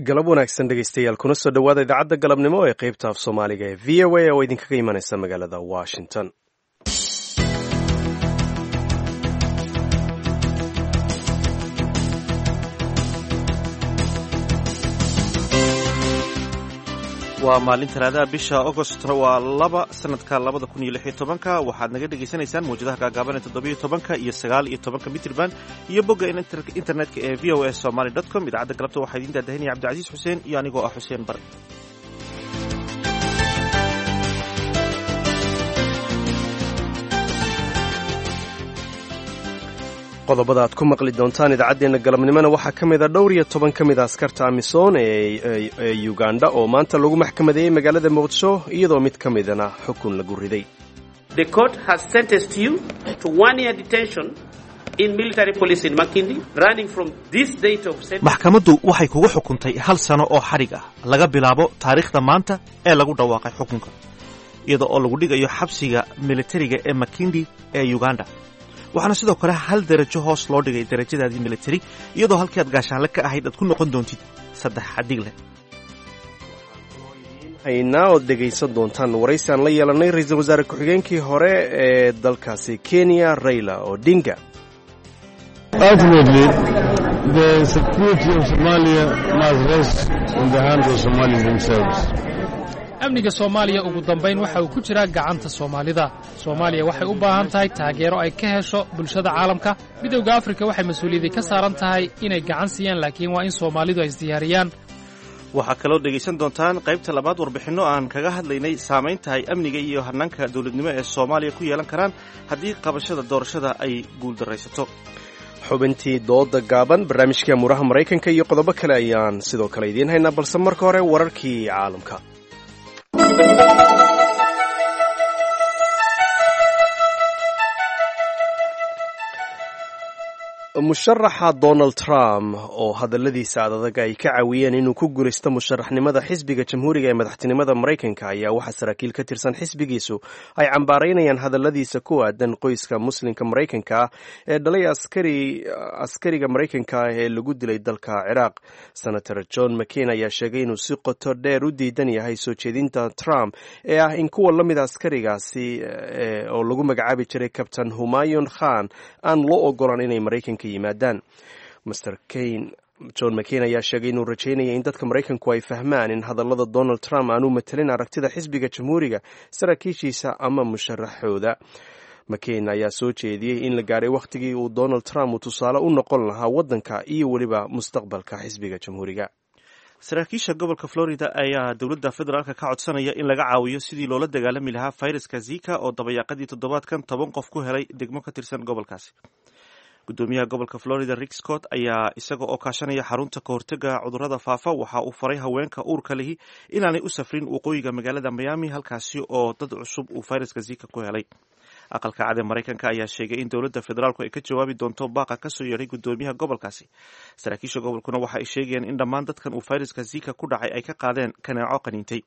Galab wanaagsan, dhegeystayaal, kuna soo dhowaada idaacadda galabnimo ee qeybta af Soomaaliga ee VOA oo idinkaga imanaysa magaalada Washington. Waa maalin Talaadaha, bisha Agost waa 2, sanadka 2016-ka. Waxaad naga dhegaysanaysaan mawjadaha gaagaaban ee 17-ka iyo 19-ka mitrban iyo bogga internetka ee voasomali.com. Idaacadda galabta waxaa idiin daadahinaya Cabdicasiis Xuseen iyo anigoo ah Xuseen Bare. Qodobada aad ku maqli doontaan idaacaddeenna galabnimona waxaa ka mid a dhowr iyo toban ka mid a askarta AMISOM ee Uganda oo maanta lagu maxkamadeeyey magaalada Muqdisho, iyadoo mid ka midana xukun lagu riday. The court has sentenced you to one year detention in military police in Makindi, running from this date of sentence. Maxkamaddu waxay kugu xukuntay hal sano oo xadhig ah laga bilaabo taariikhda maanta ee lagu dhawaaqay xukunka, iyada oo lagu dhigayo xabsiga militariga ee Makindi ee Uganda. Waxaana sidoo kale hal derajo hoos loo dhigay derajadaadii militari, iyadoo halkii aad gaashaanle ka ahayd aad ku noqon doontid saddex xadig leh. Haynaa ood dhegaysan doontaan waraysi aan la yeelanay ra-iisul wasaare ku-xigeenkii hore ee dalkaasi Kenya, Raila Odinga. Ultimately, the security of Somalia must rest in the hands of Somalis themselves. Amniga Soomaaliya ugu dambayn waxa uu ku jiraa gacanta Soomaalida. Soomaaliya waxay u baahan tahay taageero ay ka hesho bulshada caalamka. Midowda Afrika waxay mas-uuliyadii ka saaran tahay inay gacan siiyaan, laakiin waa in Soomaalidu ay isdiyaariyaan. Waxaa kaloo dhegaysan doontaan qaybta labaad warbixinno aan kaga hadlaynay saamaynta ay amniga iyo hannaanka dowladnimo ee Soomaaliya ku yeelan karaan haddii qabashada doorashada ay guuldarraysato. Xubintii dooda gaaban, barnaamijkii amuuraha Maraykanka iyo qodobo kale ayaan sidoo kale idiin haynaa, balse marka hore wararkii caalamka. Musharaxa Donald Trump oo hadalladiisa adadag ay ka caawiyeen inuu ku guulaysto musharaxnimada xisbiga Jamhuuriga ee madaxtinimada Maraykanka ayaa waxaa saraakiil ka tirsan xisbigiisu ay cambaaraynayaan hadalladiisa ku aadan qoyska Muslimka Maraykanka ah ee dhalay askariga Maraykanka ah ee lagu dilay dalka Ciraaq. Senator John McCain ayaa sheegay inuu si qoto dheer u diidan yahay soo jeedinta Trump ee ah in kuwa la mida askarigaasi oo lagu magacaabi jiray Kabtan Humayon Khan aan loo ogolan inay Maraykanka yimaadaan. Mr Cain, John McCain, ayaa sheegay inuu rajaynaya in dadka Maraykanku ay fahmaan in hadallada Donald Trump aanu matelin aragtida xisbiga Jamhuuriga, saraakiishiisa ama musharaxooda. McCain ayaa soo jeediyey in la gaaray wakhtigii uu Donald Trump uu tusaale u noqon lahaa waddanka iyo weliba mustaqbalka xisbiga Jamhuuriga. Saraakiisha gobolka Florida ayaa dowladda federaalka ka codsanaya in laga caawiyo sidii loola dagaalami lahaa fayraska Zika oo dabayaaqadii toddobaadkan 10 qof ku helay degmo ka tirsan gobolkaasi. Gudoomiyaha gobolka Florida, Rick Scott, ayaa isaga oo kaashanaya xarunta kahortega cudurrada faafa waxa uu faray haweenka uurka lihi inaanay u safrin waqooyiga magaalada Miami, halkaasi oo dad cusub uu fayraska Zika ku helay. Aqalka Cad ee Maraykanka ayaa sheegay in dowladda federaalku ay ka jawaabi doonto baaqa kasoo yeedhay gudoomiyaha gobolkaasi. Saraakiisha gobolkuna waxa ay sheegayeen in dhammaan dadkan uu fayraska Zika ku dhacay ay ka qaadeen kaneeco qaniintay.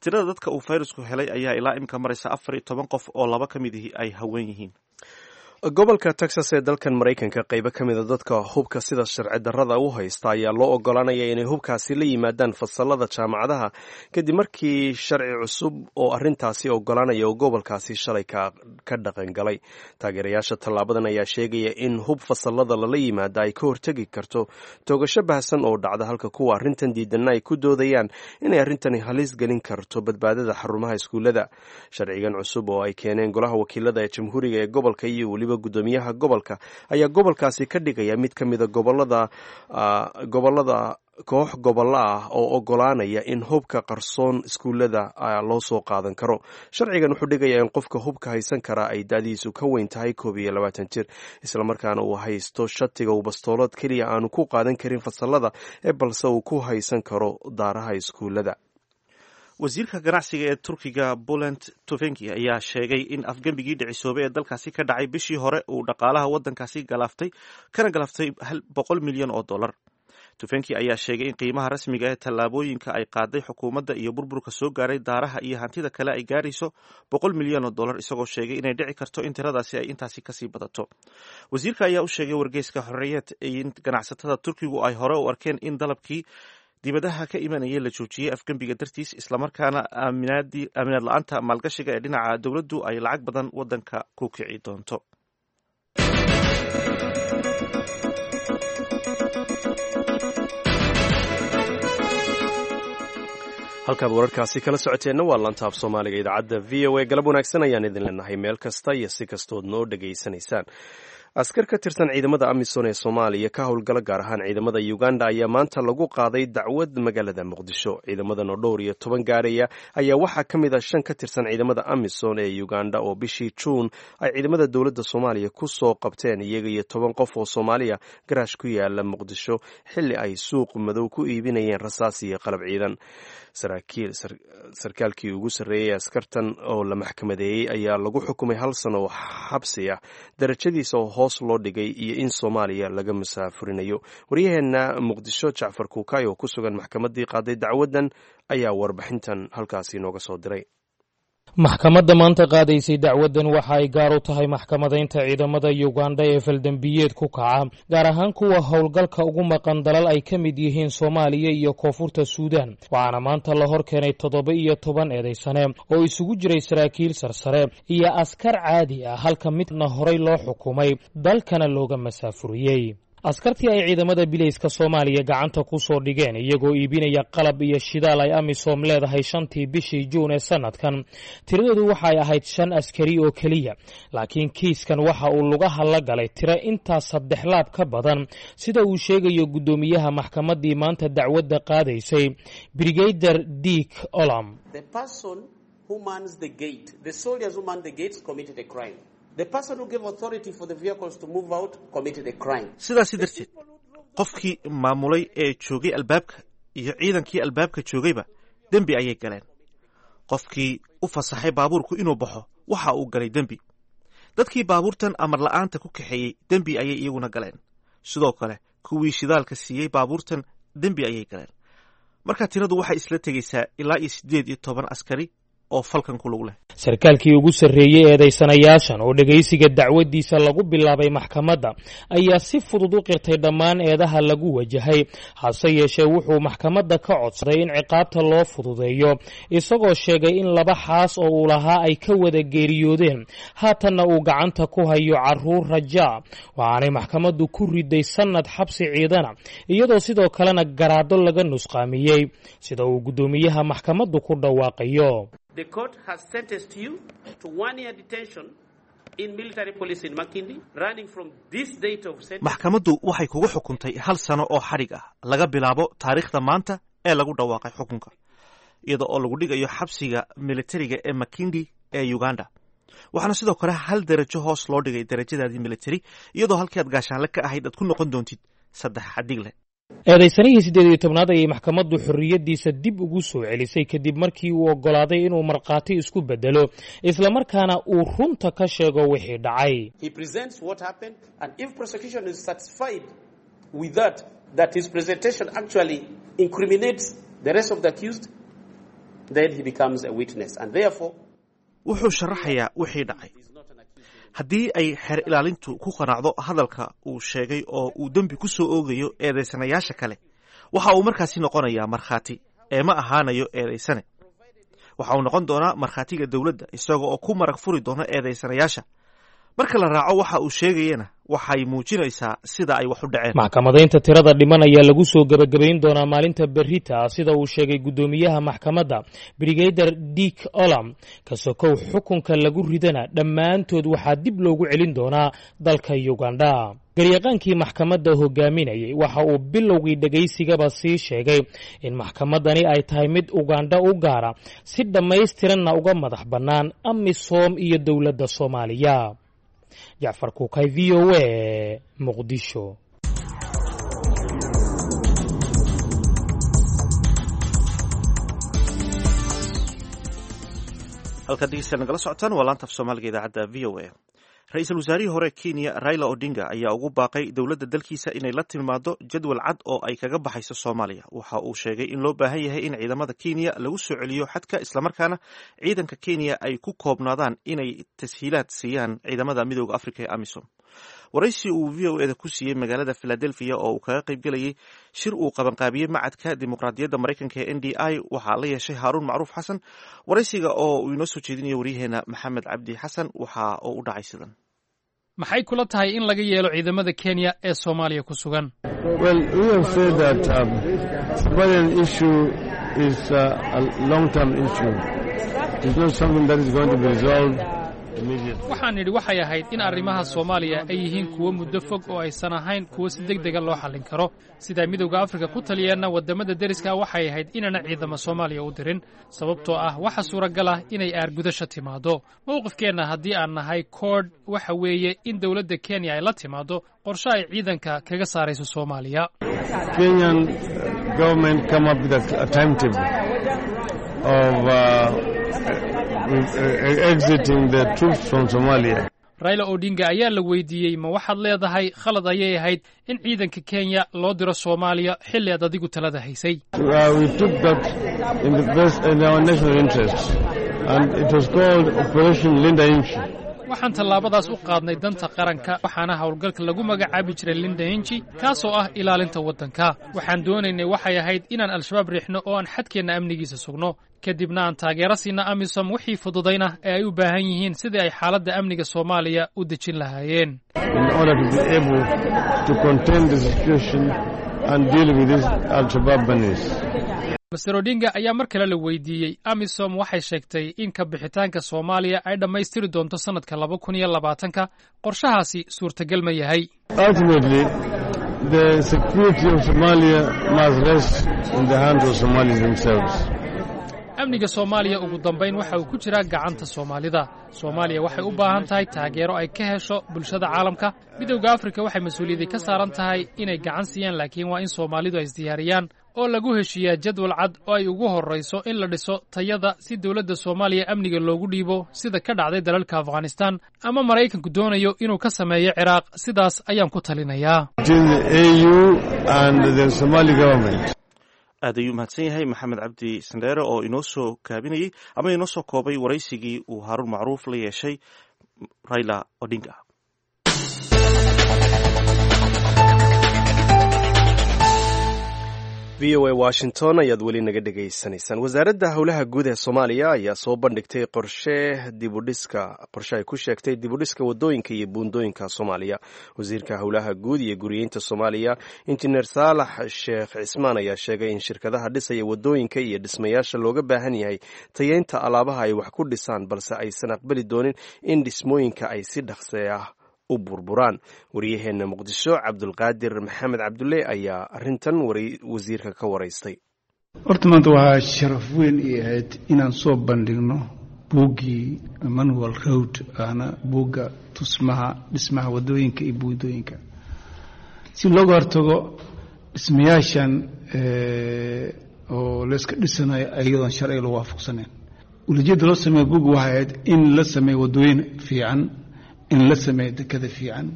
Tirada dadka uu fayrasku helay ayaa ilaa imka maraysa 14 qof, oo laba ka mid ihi ay haween yihiin. Gobolka Texas ee dalkan Maraykanka, qaybo ka mida dadka hubka sida sharci darrada u haysta ayaa loo oggolaanaya inay hubkaasi la yimaadaan fasalada jaamacadaha, kadib markii sharci cusub oo arrintaasi oggolaanaya oo gobolkaasi shalay ka dhaqan galay. Taageerayaasha tallaabadan ayaa sheegaya in hub fasalada lala yimaada ay ka hortegi karto toogasho baahsan oo dhacda, halka kuwa arrintan diidanna ay ku doodayaan inay arrintani halis gelin karto badbaadada xarumaha iskuullada. Sharcigan cusub oo ay keeneen golaha wakiilada ee Jamhuuriga ee gobolka iyo weliba gudoomiyaha gobolka ayaa gobolkaasi ka dhigaya mid ka mida gobolada gobolada koox gobollo ah oo oggolaanaya in hubka qarsoon iskuullada loo soo qaadan karo. Sharcigan wuxuu dhigayaa in qofka hubka haysan karaa ay da'diisu ka weyn tahay 21 jir, islamarkaana uu haysto shatiga uu bastoolad keliya aanu ku qaadan karin fasalada ee balse uu ku haysan karo daaraha iskuullada. Wasiirka ganacsiga ee Turkiga, Bulent Tufenki, ayaa sheegay in afgembigii dhicisoobay ee dalkaasi ka dhacay bishii hore uu dhaqaalaha waddankaasi galaaftay kana galaaftay 100 milyan oo dollar. Tufenki ayaa sheegay in qiimaha rasmiga ee tallaabooyinka ay qaaday xukuumadda iyo burburka soo gaaray daaraha iyo hantida kale ay gaarayso 100 milyan oo dollar, isagoo sheegay inay dhici karto in tiradaasi ay intaasi kasii badato. Wasiirka ayaa u sheegay wargeyska Xorriyad in ganacsatada Turkigu ay hore u arkeen in dalabkii dibadaha ka imanaya la joojiyey afgembiga dartiis, islamarkaana aaminaad la-aanta maalgashiga ee dhinaca dowladdu ay lacag badan waddanka ku kici doonto. Halkaad wararkaasi kala socoteenna waa lantaab Soomaaliga idaacadda VOA. Galab wanaagsan ayaan idin leenahay meel kasta iyo si kastood noo dhegaysanaysaan. Askar ka tirsan ciidamada AMISON ee Soomaaliya ka howlgala, gaar ahaan ciidamada Uganda, ayaa maanta lagu qaaday dacwad magaalada Muqdisho. Ciidamadan oo dhowr iyo toban gaaraya ayaa waxaa ka mid ah shan ka tirsan ciidamada AMISON ee Uganda oo bishii Juun ay ciidamada dowladda Soomaaliya ku soo qabteen iyaga iyo 10 qof oo Soomaaliya garaash ku yaala Muqdisho, xilli ay suuq madow ku iibinayeen rasaas iyo qalab ciidan. Sarkaalkii ugu sarreeyey askartan oo la maxkamadeeyey ayaa lagu xukumay hal sano oo xabsi ah, darajadiisa oo hoos loo dhigay iyo in Soomaaliya laga musaafurinayo. Waryaheenna Muqdisho Jacfar Kuukay oo ku sugan maxkamaddii qaaday dacwaddan ayaa warbixintan halkaasi nooga soo diray. Maxkamadda maanta qaadaysay dacwaddan waxa ay gaar u tahay maxkamadaynta ciidamada Yugandha ee faldembiyeed ku kaca, gaar ahaan kuwa howlgalka ugu maqan dalal ay ka mid yihiin Soomaaliya iyo Koonfurta Suudaan. Waxaana maanta la hor keenay 17 eedaysane oo isugu jiray saraakiil sarsare iyo askar caadi ah, halka midna horay loo xukumay dalkana looga masaafuriyey. Askartii ay ciidamada bilayska Soomaaliya gacanta ku soo dhigeen iyagoo iibinaya qalab iyo shidaal ay AMISOM leedahay shantii bishii Juun ee sanadkan, tiradoodu waxay ahayd shan askari oo keliya, laakiin kiiskan waxa uu lugaha la galay tiro intaas saddex laab ka badan, sida uu sheegayo guddoomiyaha maxkamaddii maanta dacwadda qaadaysay, Brigader Dick Olam. Sidaasi darteed, qofkii maamulay ee joogay albaabka iyo ciidankii albaabka joogayba dembi ayay galeen. Qofkii u fasaxay baabuurku inuu baxo waxa uu galay dembi. Dadkii baabuurtan amar la'aanta ku kaxeeyey dembi ayay iyaguna galeen. Sidoo kale kuwii shidaalka siiyey baabuurtan dembi ayay galeen. Marka tiradu waxay isla tegaysaa ilaa iyo 18 askari oo falkan ku lug leh. Sarkaalkii ugu sarreeyey eedaysanayaashan oo dhegaysiga dacwaddiisa lagu bilaabay maxkamadda ayaa si fudud u qirtay dhammaan eedaha lagu wajahay, hase yeeshee wuxuu maxkamadda ka codsaday in ciqaabta loo fududeeyo, isagoo sheegay in laba xaas oo uu lahaa ay ka wada geeriyoodeen, haatanna uu gacanta ku hayo carruur rajaa. Waxaanay maxkamaddu ku riday sannad xabsi ciidana, iyadoo sidoo kalena garaado laga nusqaamiyey, sida uu guddoomiyaha maxkamaddu ku dhawaaqayo. The court has sentenced you to one year detention in military police in Makindi, running from this date of sentence. Maxkamaddu waxay kugu xukuntay hal sano oo xadhig ah laga bilaabo taariikhda maanta ee lagu dhawaaqay xukunka, iyada oo lagu dhigayo xabsiga militariga ee Makindi ee Uganda. Waxaana sidoo kale hal derajo hoos loo dhigay derajadaadii militari, iyadoo halkii aad gaashaanle ka ahayd aad ku noqon doontid saddex xadhig leh. Eedaysanihii 18aad ayay maxkamaddu xorriyaddiisa dib ugu soo celisay kadib markii uu oggolaaday inuu markhaati isku beddelo, islamarkaana uu runta ka sheego wixii dhacay. He presents what happened, and if prosecution is satisfied with that, that his presentation actually incriminates the rest of the accused, then he becomes a witness, and therefore Wuxuu sharaxayaa wixii dhacay. Haddii ay xeer ilaalintu ku qanacdo hadalka uu sheegay oo uu dembi ku soo oogayo eedaysanayaasha kale, waxa uu markaasi noqonayaa markhaati ee ma ahaanayo eedaysane. Waxa uu noqon doonaa markhaatiga dowladda, isaga oo ku marag furi doona eedaysanayaasha. Marka la raaco waxa uu sheegayana, waxay muujinaysaa sida ay wax u dhaceen. Maxkamadaynta tirada dhiman ayaa lagu soo gebagabayn doonaa maalinta berrita, sida uu sheegay guddoomiyaha maxkamadda, Brigader Dick Olam. Kasokow xukunka lagu ridana, dhammaantood waxaa dib loogu celin doonaa dalka Uganda. Garyaqaankii maxkamadda hogaaminayay waxa uu bilowgii dhegaysigaba sii sheegay in maxkamaddani ay tahay mid Ugandha u gaara, si dhammaystiranna uga madax bannaan AMISOM iyo dowladda Soomaaliya. Jacfar Kuukay, VOA, Muqdisho. Halkaad dhegeystayaal nagala socotaan waa laanta af Soomaaliga idaacadda VOA. Ra-iisul wasaarihii hore Kenya Raila Odinga ayaa ugu baaqay dowladda dalkiisa inay la timaado jadwal cad oo ay kaga baxayso Soomaaliya. Waxa uu sheegay in loo baahan yahay in ciidamada Kenya lagu soo celiyo xadka, islamarkaana ciidanka Kenya ay ku koobnaadaan inay tashiilaad siiyaan ciidamada Midooda Afrika ee AMISOM. Waraysi uu VOA da ku siiyey magaalada Philadelphia oo uu kaga qaybgelayay shir uu qabanqaabiyey Macadka Dimuqraadiyadda Maraykanka ee NDI waxaa la yeeshay Haaruun Macruuf Xasan. Waraysiga oo uu inoo soo jeedinayo waryaheena Maxamed Cabdi Xasan waxa oo u dhacay sidan. Maxay kula tahay in laga yeelo ciidamada Kenya ee Soomaaliya ku sugan? Well, we have said that Somalian issue is a long-term issue. It's not something that is going to be resolved immediately. Waxaan nidhi waxay ahayd in arrimaha Soomaaliya ay yihiin kuwo muddo fog oo aysan ahayn kuwo si deg dega loo xallin karo. Sidaa Midowda Afrika ku taliyeenna, waddamada deriska waxay ahayd inaana ciidamo Soomaaliya u dirin, sababtoo ah waxa suuragal ah inay aargudasha timaaddo. Mowqifkeenna haddii aan nahay CORD waxa weeye in dowladda Kenya ay la timaaddo qorshe ay ciidanka kaga saarayso Soomaaliya. Kenyan government come up with a timetable of exiting the troops from Somalia. Raila Odinga ayaa la weydiiyey, ma waxaad leedahay khalad ayay ahayd in ciidanka Kenya loo diro Soomaaliya xilli aad adigu talada haysay? We took that in the best in our national interest, and it was called Operation Linda Nchi. Waxaan tallaabadaas u qaadnay danta qaranka, waxaana howlgalka lagu magacaabi jiray Linda Nchi, kaasoo ah ilaalinta waddanka. Waxaan doonaynay waxay ahayd inaan Al-Shabaab riixno oo aan xadkeenna amnigiisa sugno, kadibna aan taageero siina AMISOM wixii fududayna ee ay u baahan yihiin sidii ay xaaladda amniga Soomaaliya u dejin lahaayeen. In order to be able to contain the situation and deal with this Al-Shabaab menace. Mister Odinga ayaa mar kale la weydiiyey, AMISOM waxay sheegtay in ka bixitaanka Soomaaliya ay dhammaystiri doonto sannadka 2020-ka, qorshahaasi suurtagal ma yahay? Ultimately, the security of Somalia must rest in the hands of Somalis themselves. Amniga Soomaaliya ugu dambayn waxa uu ku jiraa gacanta Soomaalida. Soomaaliya waxay u baahan tahay taageero ay ka hesho bulshada caalamka. Midowda Afrika waxay mas-uuliyadii ka saaran tahay inay gacan siiyaan, laakiin waa in Soomaalidu ay isdiyaariyaan oo lagu heshiiyaa jadwal cad oo ay ugu horrayso in la dhiso tayada si dowladda Soomaaliya amniga loogu dhiibo, sida ka dhacday dalalka Afghanistan ama Maraykanku doonayo inuu ka sameeyo Ciraaq. Sidaas ayaan ku talinayaa. Between the AU and the Somali government. Aad ayuu mahadsan yahay Maxamed Cabdi Sandheere oo inoo soo kaabinayey ama inoo soo koobay waraysigii uu Haaruun Macruuf la yeeshay Raila Odinga. VOA Washington ayaad weli naga dhegaysanaysaan. Wasaaradda Howlaha Guud ee Soomaaliya ayaa soo bandhigtay qorshe dibudhiska, qorshe ay ku sheegtay dibudhiska wadooyinka iyo buundooyinka Soomaaliya. Wasiirka Howlaha Guud iyo Guriyeynta Soomaaliya, Injineer Saalax Sheekh Cismaan, ayaa sheegay in shirkadaha dhisaya wadooyinka iyo dhismayaasha looga baahan yahay tayeynta alaabaha ay wax ku dhisaan, balse aysan aqbali doonin in dhismooyinka ay si dhaqse ah u burburaan. Waryaheena Muqdisho, Cabdulqaadir Maxamed Cabdulle, ayaa arintan wasiirka ka waraystay. Horta maanta waxaa sharaf weyn ii ahayd inaan soo bandhigno buuggii Manual Road, ahna buugga tusmaha dhismaha wadooyinka iyo buundooyinka, si looga hortago dhismayaashan oo layska dhisanayo iyadoon sharciga lagu waafaqsanayn. Uulajeedda loo sameeyo buugga waxay ahayd in la sameeyo wadooyin fiican, in la sameeyo dekada fiican,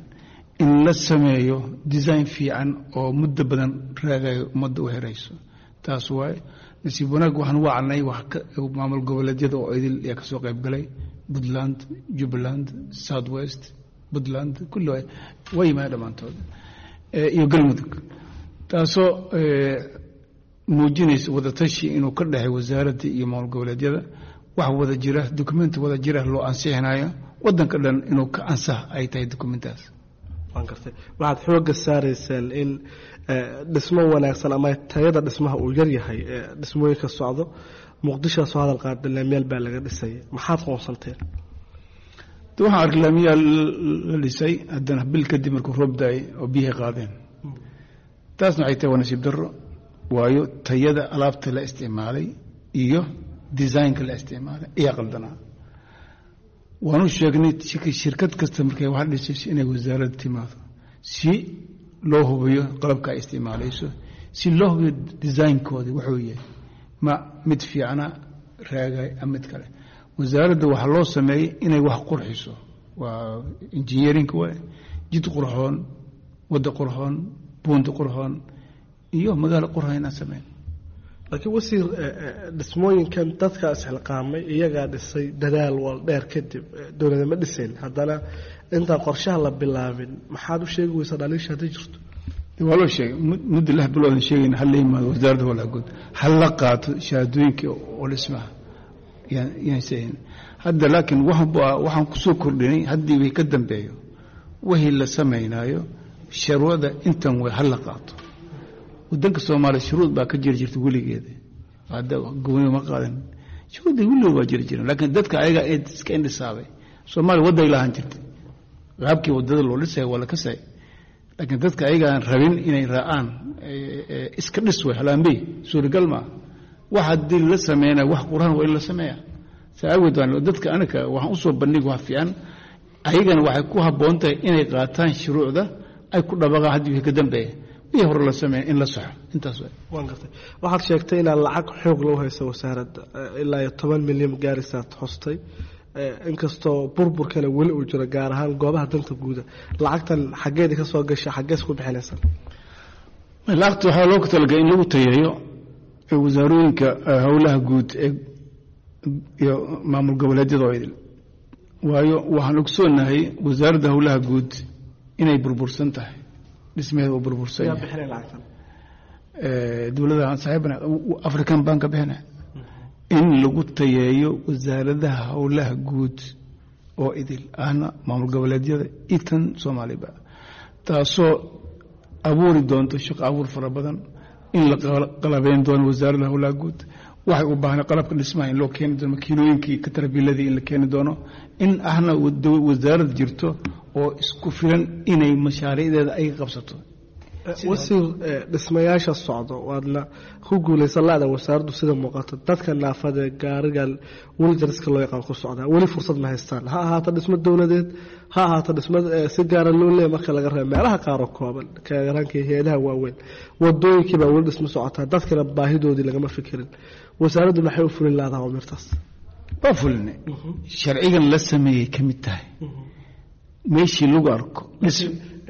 in la sameeyo design fiican oo muddo badan raagayo, ummadda u herayso. Taas waaye. Nasiib wanaag waxaan u wacnay wax maamul goboleedyada oo idil ayaa kasoo qayb galay: Puntland, Jubbaland, South West, Puntland, kulli waa yimaadeen dhammaantood, iyo Galmudug, taasoo muujinaysa wadatashi inuu ka dhexay wasaaradda iyo maamul goboleedyada. Wax wada jira, documenti wada jira loo ansixinayo waddanka dhan inuu ka ansax ay tahay documentaas. Waan gartay. Waxaad xoogga saarayseen in dhismo wanaagsan ama tayada dhismaha uu yar yahay dhismooyinka socdo Muqdishoa. Soo hadal qaada laamiyaal baa laga dhisaya, maxaad qoonsanteen? De waxaan arkay laamiyaal la dhisay, haddana bil kadib markuu roob daayay oo biyihii qaadeen. Taasna waxay tahay waa nasiib darro, waayo tayada alaabta la isticmaalay iyo designka la isticmaalay ayaa qaldanaa. Waanu sheegnay shirkad kasta markay wax dhisayso inay wasaaradda timaado si loo hubiyo qalabka ay isticmaalayso, si loo hubiyo design-koodii wuxuu yahay, ma mid fiicana raagay ama mid kale. Wasaaradda waxaa loo sameeyey inay wax qurxiso, waa engineerinka, waay jid qurxoon, wadda qurxoon, buunta qurxoon iyo magaalo qurxoon inaan sameyn. Laakiin wasiir, dhismooyinkan dadka isxilqaamay iyagaa dhisay dadaal wal dheer kadib, dowlada ma dhisayn. Haddana intaan qorshaha la bilaabin maxaad u sheegi weysaa dhaliisha hadday jirto? Waa loo sheegay muddo 6 biloodan sheegayna ha la yimaado wasaaradda howlaha guud, ha la qaato shahaadooyinka oo dhismaha yaan sheegin hadda. Laakiin waxaan kusoo kordhinay haddii wixii ka dambeeyo wixii la samaynaayo sharwada intan way ha la qaato. Wadanka Soomaaliya shuruud baa ka jiri jirta weligeeda, hadda gooni ma qaadan, shuruudda weligood waa jiri jiren, laakiin dadka ayaga iska indhisaabay. Soomaaliya wadday lahaan jirtay, qaabkii waddada loo dhisay waa la kasay, laakiin dadka ayagaan rabin inay raacaan iska dhis way halaambey suuragal maaha. Wax haddii la sameynaya wax quraan waa in la sameeya. Saa awgeed waan dadka anaka waxaan usoo bandhig wax fiican, ayagana waxay ku habboon tahay inay qaataan shuruucda ay ku dhabaqaan haddii wixii ka dambeeya wixii hore la sameeya in la saxo intaas waay. Waan gartay. Waxaad sheegtay inaad lacag xoog loo hayso wasaaradda, ilaa iyo 10 milyan gaarisaad xustay, inkastoo burburkana weli uu jiro gaar ahaan goobaha danta guuda. Lacagtan xaggeedi ka soo gasha, xaggees ku bixinaysa? Lacagta waxaa loogu talagalay in lagu tayeeyo wasaarooyinka howlaha guud ee iyo maamul goboleedyada oo idil. Waayo waxaan ogsoonahay wasaaradda howlaha guud inay burbursan tahay, dhismaheeda uu burbursan Yaa yahay. bixinay lacagtan? Dowladda aan saaxiibana African Bank ka bixina in lagu tayeeyo wasaaradaha howlaha guud oo idil ahna maamul goboleedyada itan Soomaaliba, taasoo abuuri doonto shaqo abuur fara badan, in la qalabeyn doono wasaaradda howlaha guud waxay u baahnay qalabka dhismaha in loo keeni doono, makiinooyinkii katarbiiladii in la keeni doono, in ahna wasaarad jirto oo isku filan inay mashaariicdeeda ay qabsato. Wasiir, dhismayaasha socdo waadna ku guulaysan la-da wasaaraddu sida muuqato. Dadka naafada gaarigan wheelchairska loo yaqaan ku socdaa weli fursad ma haystaan, ha ahaato dhismo dowladeed, ha ahaato dhismo si gaara loo leeyahay, marka laga reebo meelaha qaar oo kooban kaaraanka hay-adaha waaweyn. Wadooyinkii baa weli dhismo socotaa, dadkana baahidoodii lagama fikirin. Wasaaraddu maxay u fulin laadaha amirtaas? Waa fulinay, sharcigan la sameeyey ka mid tahay meeshii lagu arko dhis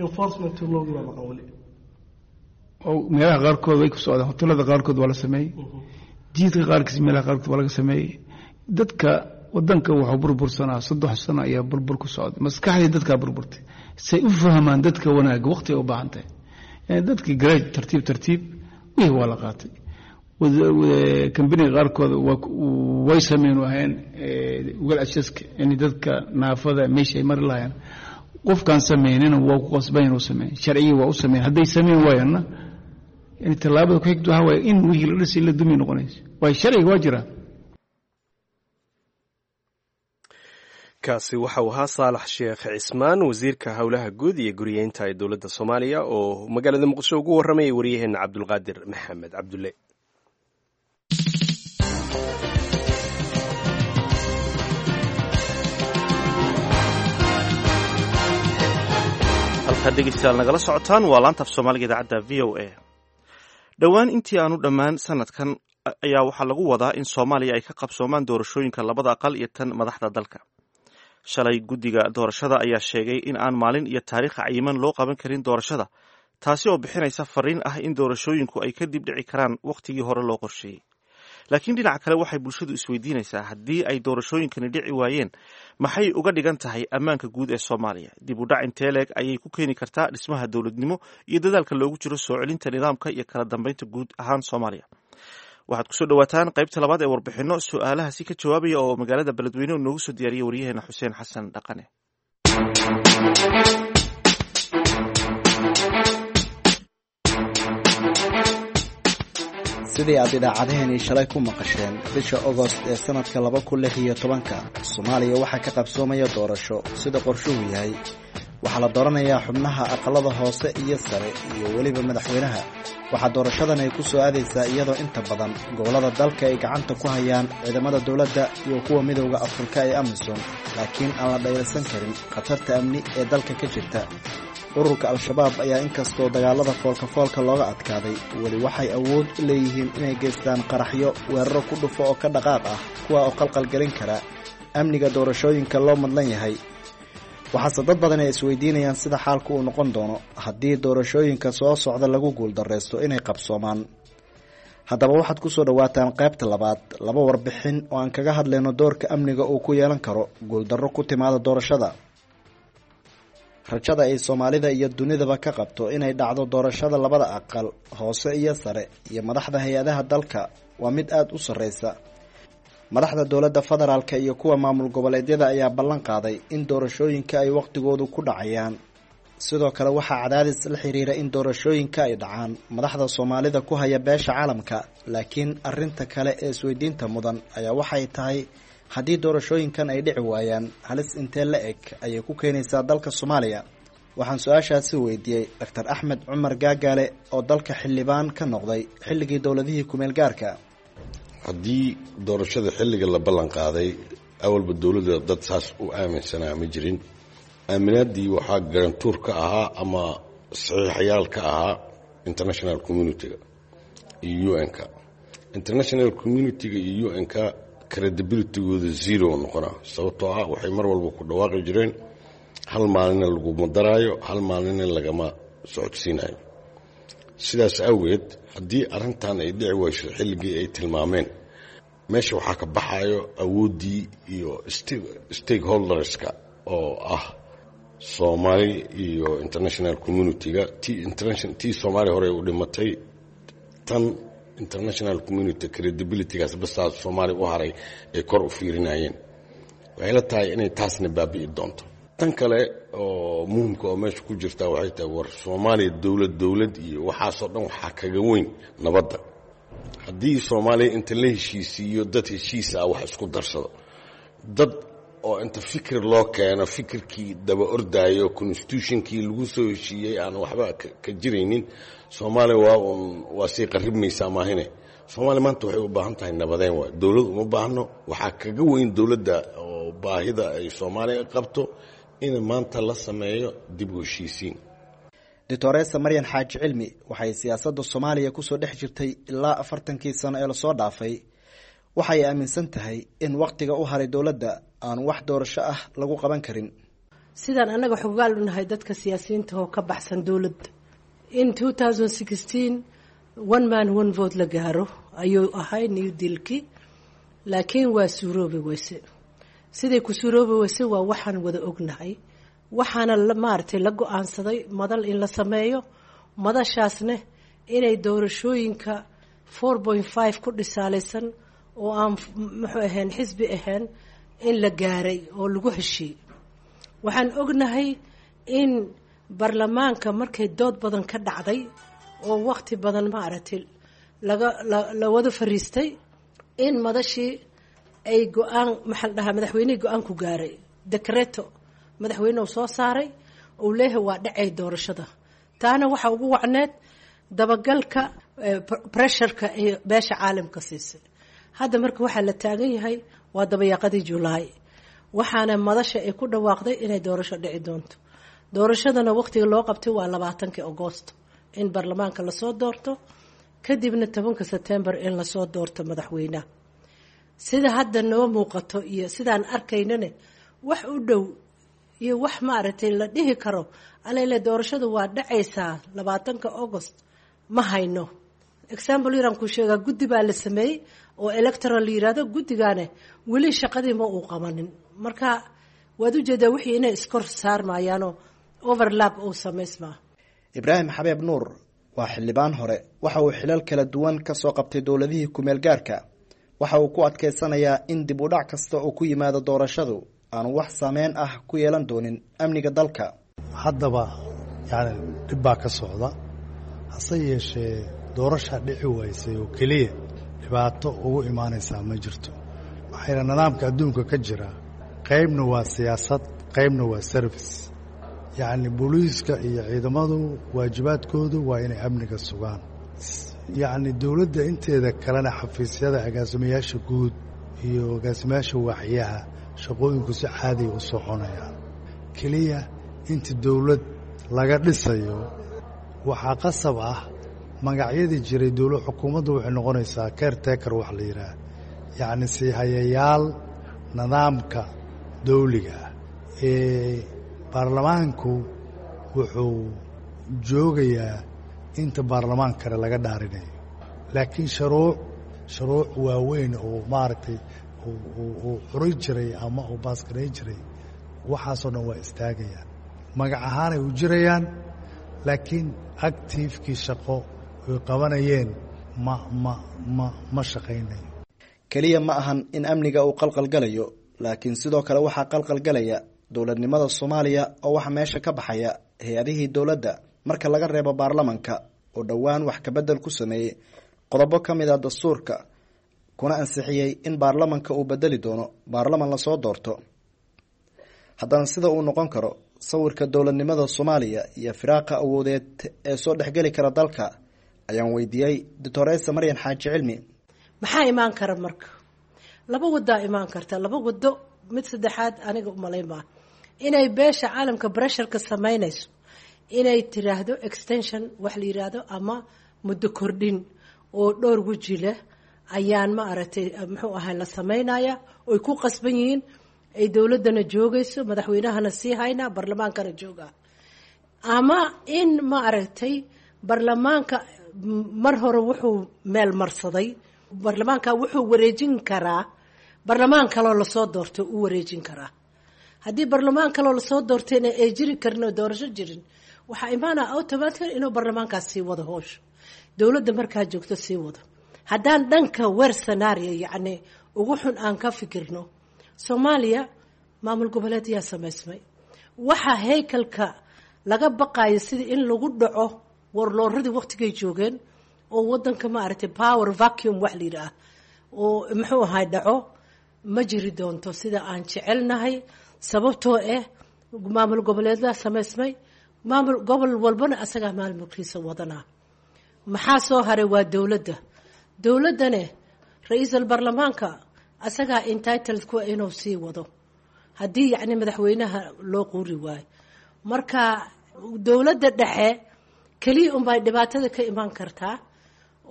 Enforcement loogi baa maqan weli. Oo meelaha qaarkood way ku socdaan, hotelada qaarkood waa la sameeyey, jiidka qaarkiis meelaha qaarkood waa laga sameeyey. Dadka wadanka wuxuu burbursanaa 3 sano ayaa burbur ku socday, maskaxdii dadkaa burburtay. Say u fahmaan dadka wanaagga waqti ay u baahan tahay. Yani dadkii garaaj tartiib tartiib wixii waa la qaatay. Kambaniga qaarkood way sameyn waayeen wal ashaska in dadka naafada meesha ay mari lahaayeen. Qofkaan sameynina waa ku qasban inuu sameeyo, sharcigii waa u sameyn. Hadday sameyn waayaanna yani tallaabada ku xigta waxaa waaye in wixii la dhisay la dumi noqonayso, waayo sharciga waa jiraa. Kaasi waxa uu ahaa Saalax Sheekh Cismaan, wasiirka howlaha guud iyo guriyeynta ee dowladda Soomaaliya, oo magaalada Muqdisho ugu warramayay waryaheena Cabdulqaadir Maxamed Cabdulle. Halkaad dhegeystayaal nagala socotaan waa laanta af Soomaaliga idaacadda v o a. Dhowaan intii aanu dhammaan sanadkan ayaa waxaa lagu wadaa in Soomaaliya ay ka qabsoomaan doorashooyinka labada aqal iyo tan madaxda dalka. Shalay guddiga doorashada ayaa sheegay in aan maalin iyo taariikh cayiman loo qaban karin doorashada, taasi oo bixinaysa fariin ah in doorashooyinku ay kadib dhici karaan wakhtigii hore loo qorsheeyey. Laakiin dhinaca kale waxay bulshadu isweydiinaysaa, haddii ay doorashooyinkani dhici waayeen, maxay uga dhigan tahay ammaanka guud ee Soomaaliya? Dib u dhac intee leeg ayay ku keeni kartaa dhismaha dowladnimo iyo dadaalka loogu jiro soo celinta nidaamka iyo kala dambeynta guud ahaan Soomaaliya? Waxaad kusoo dhawaataan qaybta labaad ee warbixinno su-aalahaasi ka jawaabaya oo magaalada Beledweyne noogu soo diyaariyay waryaheena Xuseen Xasan Dhaqane. Sidii aad idaacadaheenii shalay ku maqasheen, bisha Ogost ee sanadka 2016-ka Soomaaliya waxaa ka qabsoomaya doorasho. Sida qorshuhu yahay, waxaa la dooranayaa xubnaha aqalada hoose iyo sare iyo weliba madaxweynaha. Waxaa doorashadan ay ku soo aadaysaa iyadoo inta badan gobollada dalka ay gacanta ku hayaan ciidamada dowladda iyo kuwa Midowda Afrika ee AMISOM, laakiin aan la dhayalsan karin khatarta amni ee dalka ka jirta. Ururka Al-Shabaab ayaa inkastoo dagaalada foolka-foolka looga adkaaday, weli waxay awood u leeyihiin inay geystaan qaraxyo, weeraro ku dhufo oo ka dhaqaaq ah, kuwa oo qalqalgelin kara amniga doorashooyinka loo madlan yahay. Waxaase dad badan ay isweydiinayaan sida xaalku uu noqon doono haddii doorashooyinka soo socda lagu guuldareysto inay qabsoomaan. Haddaba waxaad kusoo dhawaataan qaybta labaad, laba warbixin oo aan kaga hadlayno doorka amniga uu ku yeelan karo guuldarro ku timaada doorashada, rajada ay Soomaalida iyo dunidaba ka qabto inay dhacdo doorashada labada aqal hoose iyo sare iyo madaxda hay-adaha dalka waa mid aada u sarreysa. Madaxda dowladda federaalka iyo kuwa maamul goboleedyada ayaa ballan qaaday in doorashooyinka ay waqtigoodu ku dhacayaan. Sidoo kale waxaa cadaadis la xiriira in doorashooyinka ay dhacaan madaxda Soomaalida ku haya beesha caalamka. Laakiin arinta kale ee isweydiinta mudan ayaa waxay tahay, haddii doorashooyinkan ay dhici waayaan, halis intee la eg ayay ku keenaysaa dalka Soomaaliya? Waxaan su-aashaasi weydiiyey Doctor Axmed Cumar Gaagaale oo dalka xildhibaan ka noqday xilligii dowladihii kumeel gaarka. Haddii doorashada xilliga la ballan qaaday, awalba dowladda dad saas u aaminsanaa ma jirin. Aaminaadii waxaa garantuur ka ahaa ama saxiixayaal ka ahaa international community-ga iyo UN-ka. International community-ga iyo UN-ka credibility-gooda zero noqonaa, sababtoo ah waxay mar walba ku dhawaaqi jireen hal maalina laguma daraayo, hal maalina lagama socodsiinayo. Sidaas awgeed, haddii arrintan ay dhici weyso xilligii ay tilmaameen, meesha waxaa ka baxayo awooddii iyo stakeholders-ka oo ah Soomaali iyo international community-ga. Tii Soomaaliya hore u dhimatay, tan international community credibility-gaas basaa Soomaaliya u haray ay kor u fiirinayeen. Waxay la tahay inay taasna baabi'i doonto. Tan kale oo muhimka oo meesha ku jirtaa waxay tahay, war Soomaaliya dowlad dowlad iyo waxaasoo dhan waxaa kaga weyn nabadda. Haddii Soomaaliya inta la heshiisiiyo dad heshiis ah wax isku darsado, dad oo inta fikir loo keeno fikirkii daba ordaayo, constitution-kii lagu soo heshiiyey aan waxba ka jiraynin, Soomaaliya waa uun waa sii qaribmaysaa maahine. Soomaaliya maanta waxay u baahan tahay nabadeen. Waay dowlad uma baahno. Waxaa kaga weyn dowladda oo baahida ay Soomaaliya qabto in maanta la sameeyo dib u heshiisiin. Doctoresa Maryan Xaaji Cilmi waxay siyaasadda Soomaaliya kusoo dhex jirtay ilaa 40kii sano ee lasoo dhaafay. Waxay aaminsan tahay in wakhtiga u haray dowladda aan wax doorasho ah lagu qaban karin. Sidaan annaga xogaal u nahay dadka siyaasiyiinta oo ka baxsan dowladda, in 2016 one man one vote la gaaro ayuu ahay New Deal-kii, laakiin waa suuroobi weyse. Siday ku suuroobi weyse waa waxaan wada ognahay. Waxaana maaragtay la go-aansaday madal in la sameeyo, madashaasne inay doorashooyinka 4.5 ku dhisaalaysan oo aan muxuu ahayn xisbi ahayn in la gaaray oo lagu heshiiyey. Waxaan ognahay in baarlamaanka markay dood badan ka dhacday oo waqti badan maaragtay laga la wada fariistay in madashii ay go-aan, maxaa la dhahaa, madaxweynihii go-aan ku gaaray, decreto madaxweyne uu soo saaray uu leeyahay waa dhacay doorashada. Taana waxaa ugu wacneed dabagalka pressure-ka ay beesha caalamka siisay. Hadda marka waxaa la taagan yahay waa dabayaaqadii Julaay, waxaana madasha ay ku dhawaaqday inay doorasho dhici doonto. Doorashadana waqtiga loo qabtay waa 20kii Agoosto in baarlamaanka lasoo doorto, kadibna 10ka Sebtembar in lasoo doorto madaxweynaha. Sida hadda noo muuqato iyo sidaan arkaynane, wax u dhow iyo wax maaragtay la dhihi karo alele doorashadu waa dhacaysaa 20ka August ma hayno. Example yaraan ku sheegaa: guddi baa la sameeyey oo electoral la yirahdo. Guddigaane weli shaqadii ma uu qabanin. Marka waad ujeedaa wixii inay iskor saarmayaanoo overlap uu samaysmaa. Ibraahim Xabeeb Nuur waa xildhibaan hore. Waxa uu xilal kala duwan ka soo qabtay dowladihii kumeel gaarka. Waxa uu ku adkaysanayaa in dib u dhac kasta oo ku yimaado doorashadu aanu wax saameyn ah ku yeelan doonin amniga dalka. Haddaba yani dhib baa ka socda, hase yeeshee doorashaa dhici waysay oo keliya dhibaato ugu imaanaysaa ma jirto. Maxaa yeele, nidaamka adduunka ka jira qaybna waa siyaasad, qaybna waa service. Yacni booliiska iyo ciidamadu waajibaadkoodu waa inay amniga sugaan. Yacni dowladda inteeda kalena, xafiisyada agaasimayaasha guud iyo agaasimayaasha waaxyaha, shaqooyinku si caadiya u soconayaan. Keliya inta dowlad laga dhisayo waxaa qasab ah magacyadii jiray dowla xukuumaddu waxay noqonaysaa caretaker wax la yidhaah, yacni siihayayaal nidaamka dawliga ah ee baarlamaanku wuxuu joogayaa inta baarlamaan kale laga dhaarinayo. Laakiin shuruuc waaweyn oo maaragtay uu curin jiray ama uu baaskarayn jiray, waxaasoo dhan waa istaagayaan. Magac ahaanay u jirayaan, laakiin activekii shaqo ay qabanayeen ma ma ma ma shaqaynayo. Keliya ma ahan in amniga uu qalqalgalayo, laakiin sidoo kale waxaa qalqalgalaya dowladnimada Soomaaliya, oo waxaa meesha ka baxaya hay-adihii dowladda marka laga reebo baarlamanka oo dhowaan wax kabedel ku sameeyey qodobo ka mid a dastuurka, kuna ansixiyey in baarlamanka uu bedeli doono baarlaman lasoo doorto. Haddana sida uu noqon karo sawirka dowladnimada Soomaaliya iyo firaaqa awoodeed ee soo dhexgeli kara dalka ayaan weydiiyey Doctoresa Maryan Xaaji Cilmi. Maxaa imaan kara marka? Laba wadaa imaan karta, laba wado, mid saddexaad aniga umalayn maa inay beesha caalamka bresharka samaynayso inay tiraahdo extension wax la yiraahdo ama muddo kordhin oo dhowr weji leh ayaan ma aragtay muxuu ahay la samaynaya, oy ku qasban yihiin, ay dowladdana joogayso, madaxweynahana sii haynaa, baarlamaankana joogaa, ama in ma aragtay baarlamaanka mar hore wuxuu meel marsaday, baarlamaanka wuxuu wareejin karaa baarlamaan kaloo lasoo doorto uu wareejin karaa. Haddii baarlamaan kaloo lasoo doortayna ay jiri karin oo doorasho jirin, waxaa imaanaa automatically inuu baarlamaankaas sii wado howsha dowladda markaa joogto sii wado. Haddaan dhanka weer scenario, yacni ugu xun, aan ka fikirno, Soomaaliya maamul goboleed yaa samaysmay. Waxaa haykalka laga baqayo sidii in lagu dhaco warlooradii waqtigay joogeen oo wadanka ma aragtay power vacuum wax la yidhaah oo muxuu ahay dhaco ma jiri doonto sida aan jecelnahay, sababtoo ah maamul goboleedaa samaysmay, maamul gobol walbana asagaa maamulkiisa wadanaa. Maxaa soo haray? Waa dowladda. Dowladdane ra-iisul baarlamaanka asagaa entitled kuwa inuu sii wado haddii yacni madaxweynaha loo quuri waayo. Marka dowladda dhexe keliya unbay dhibaatada ka imaan kartaa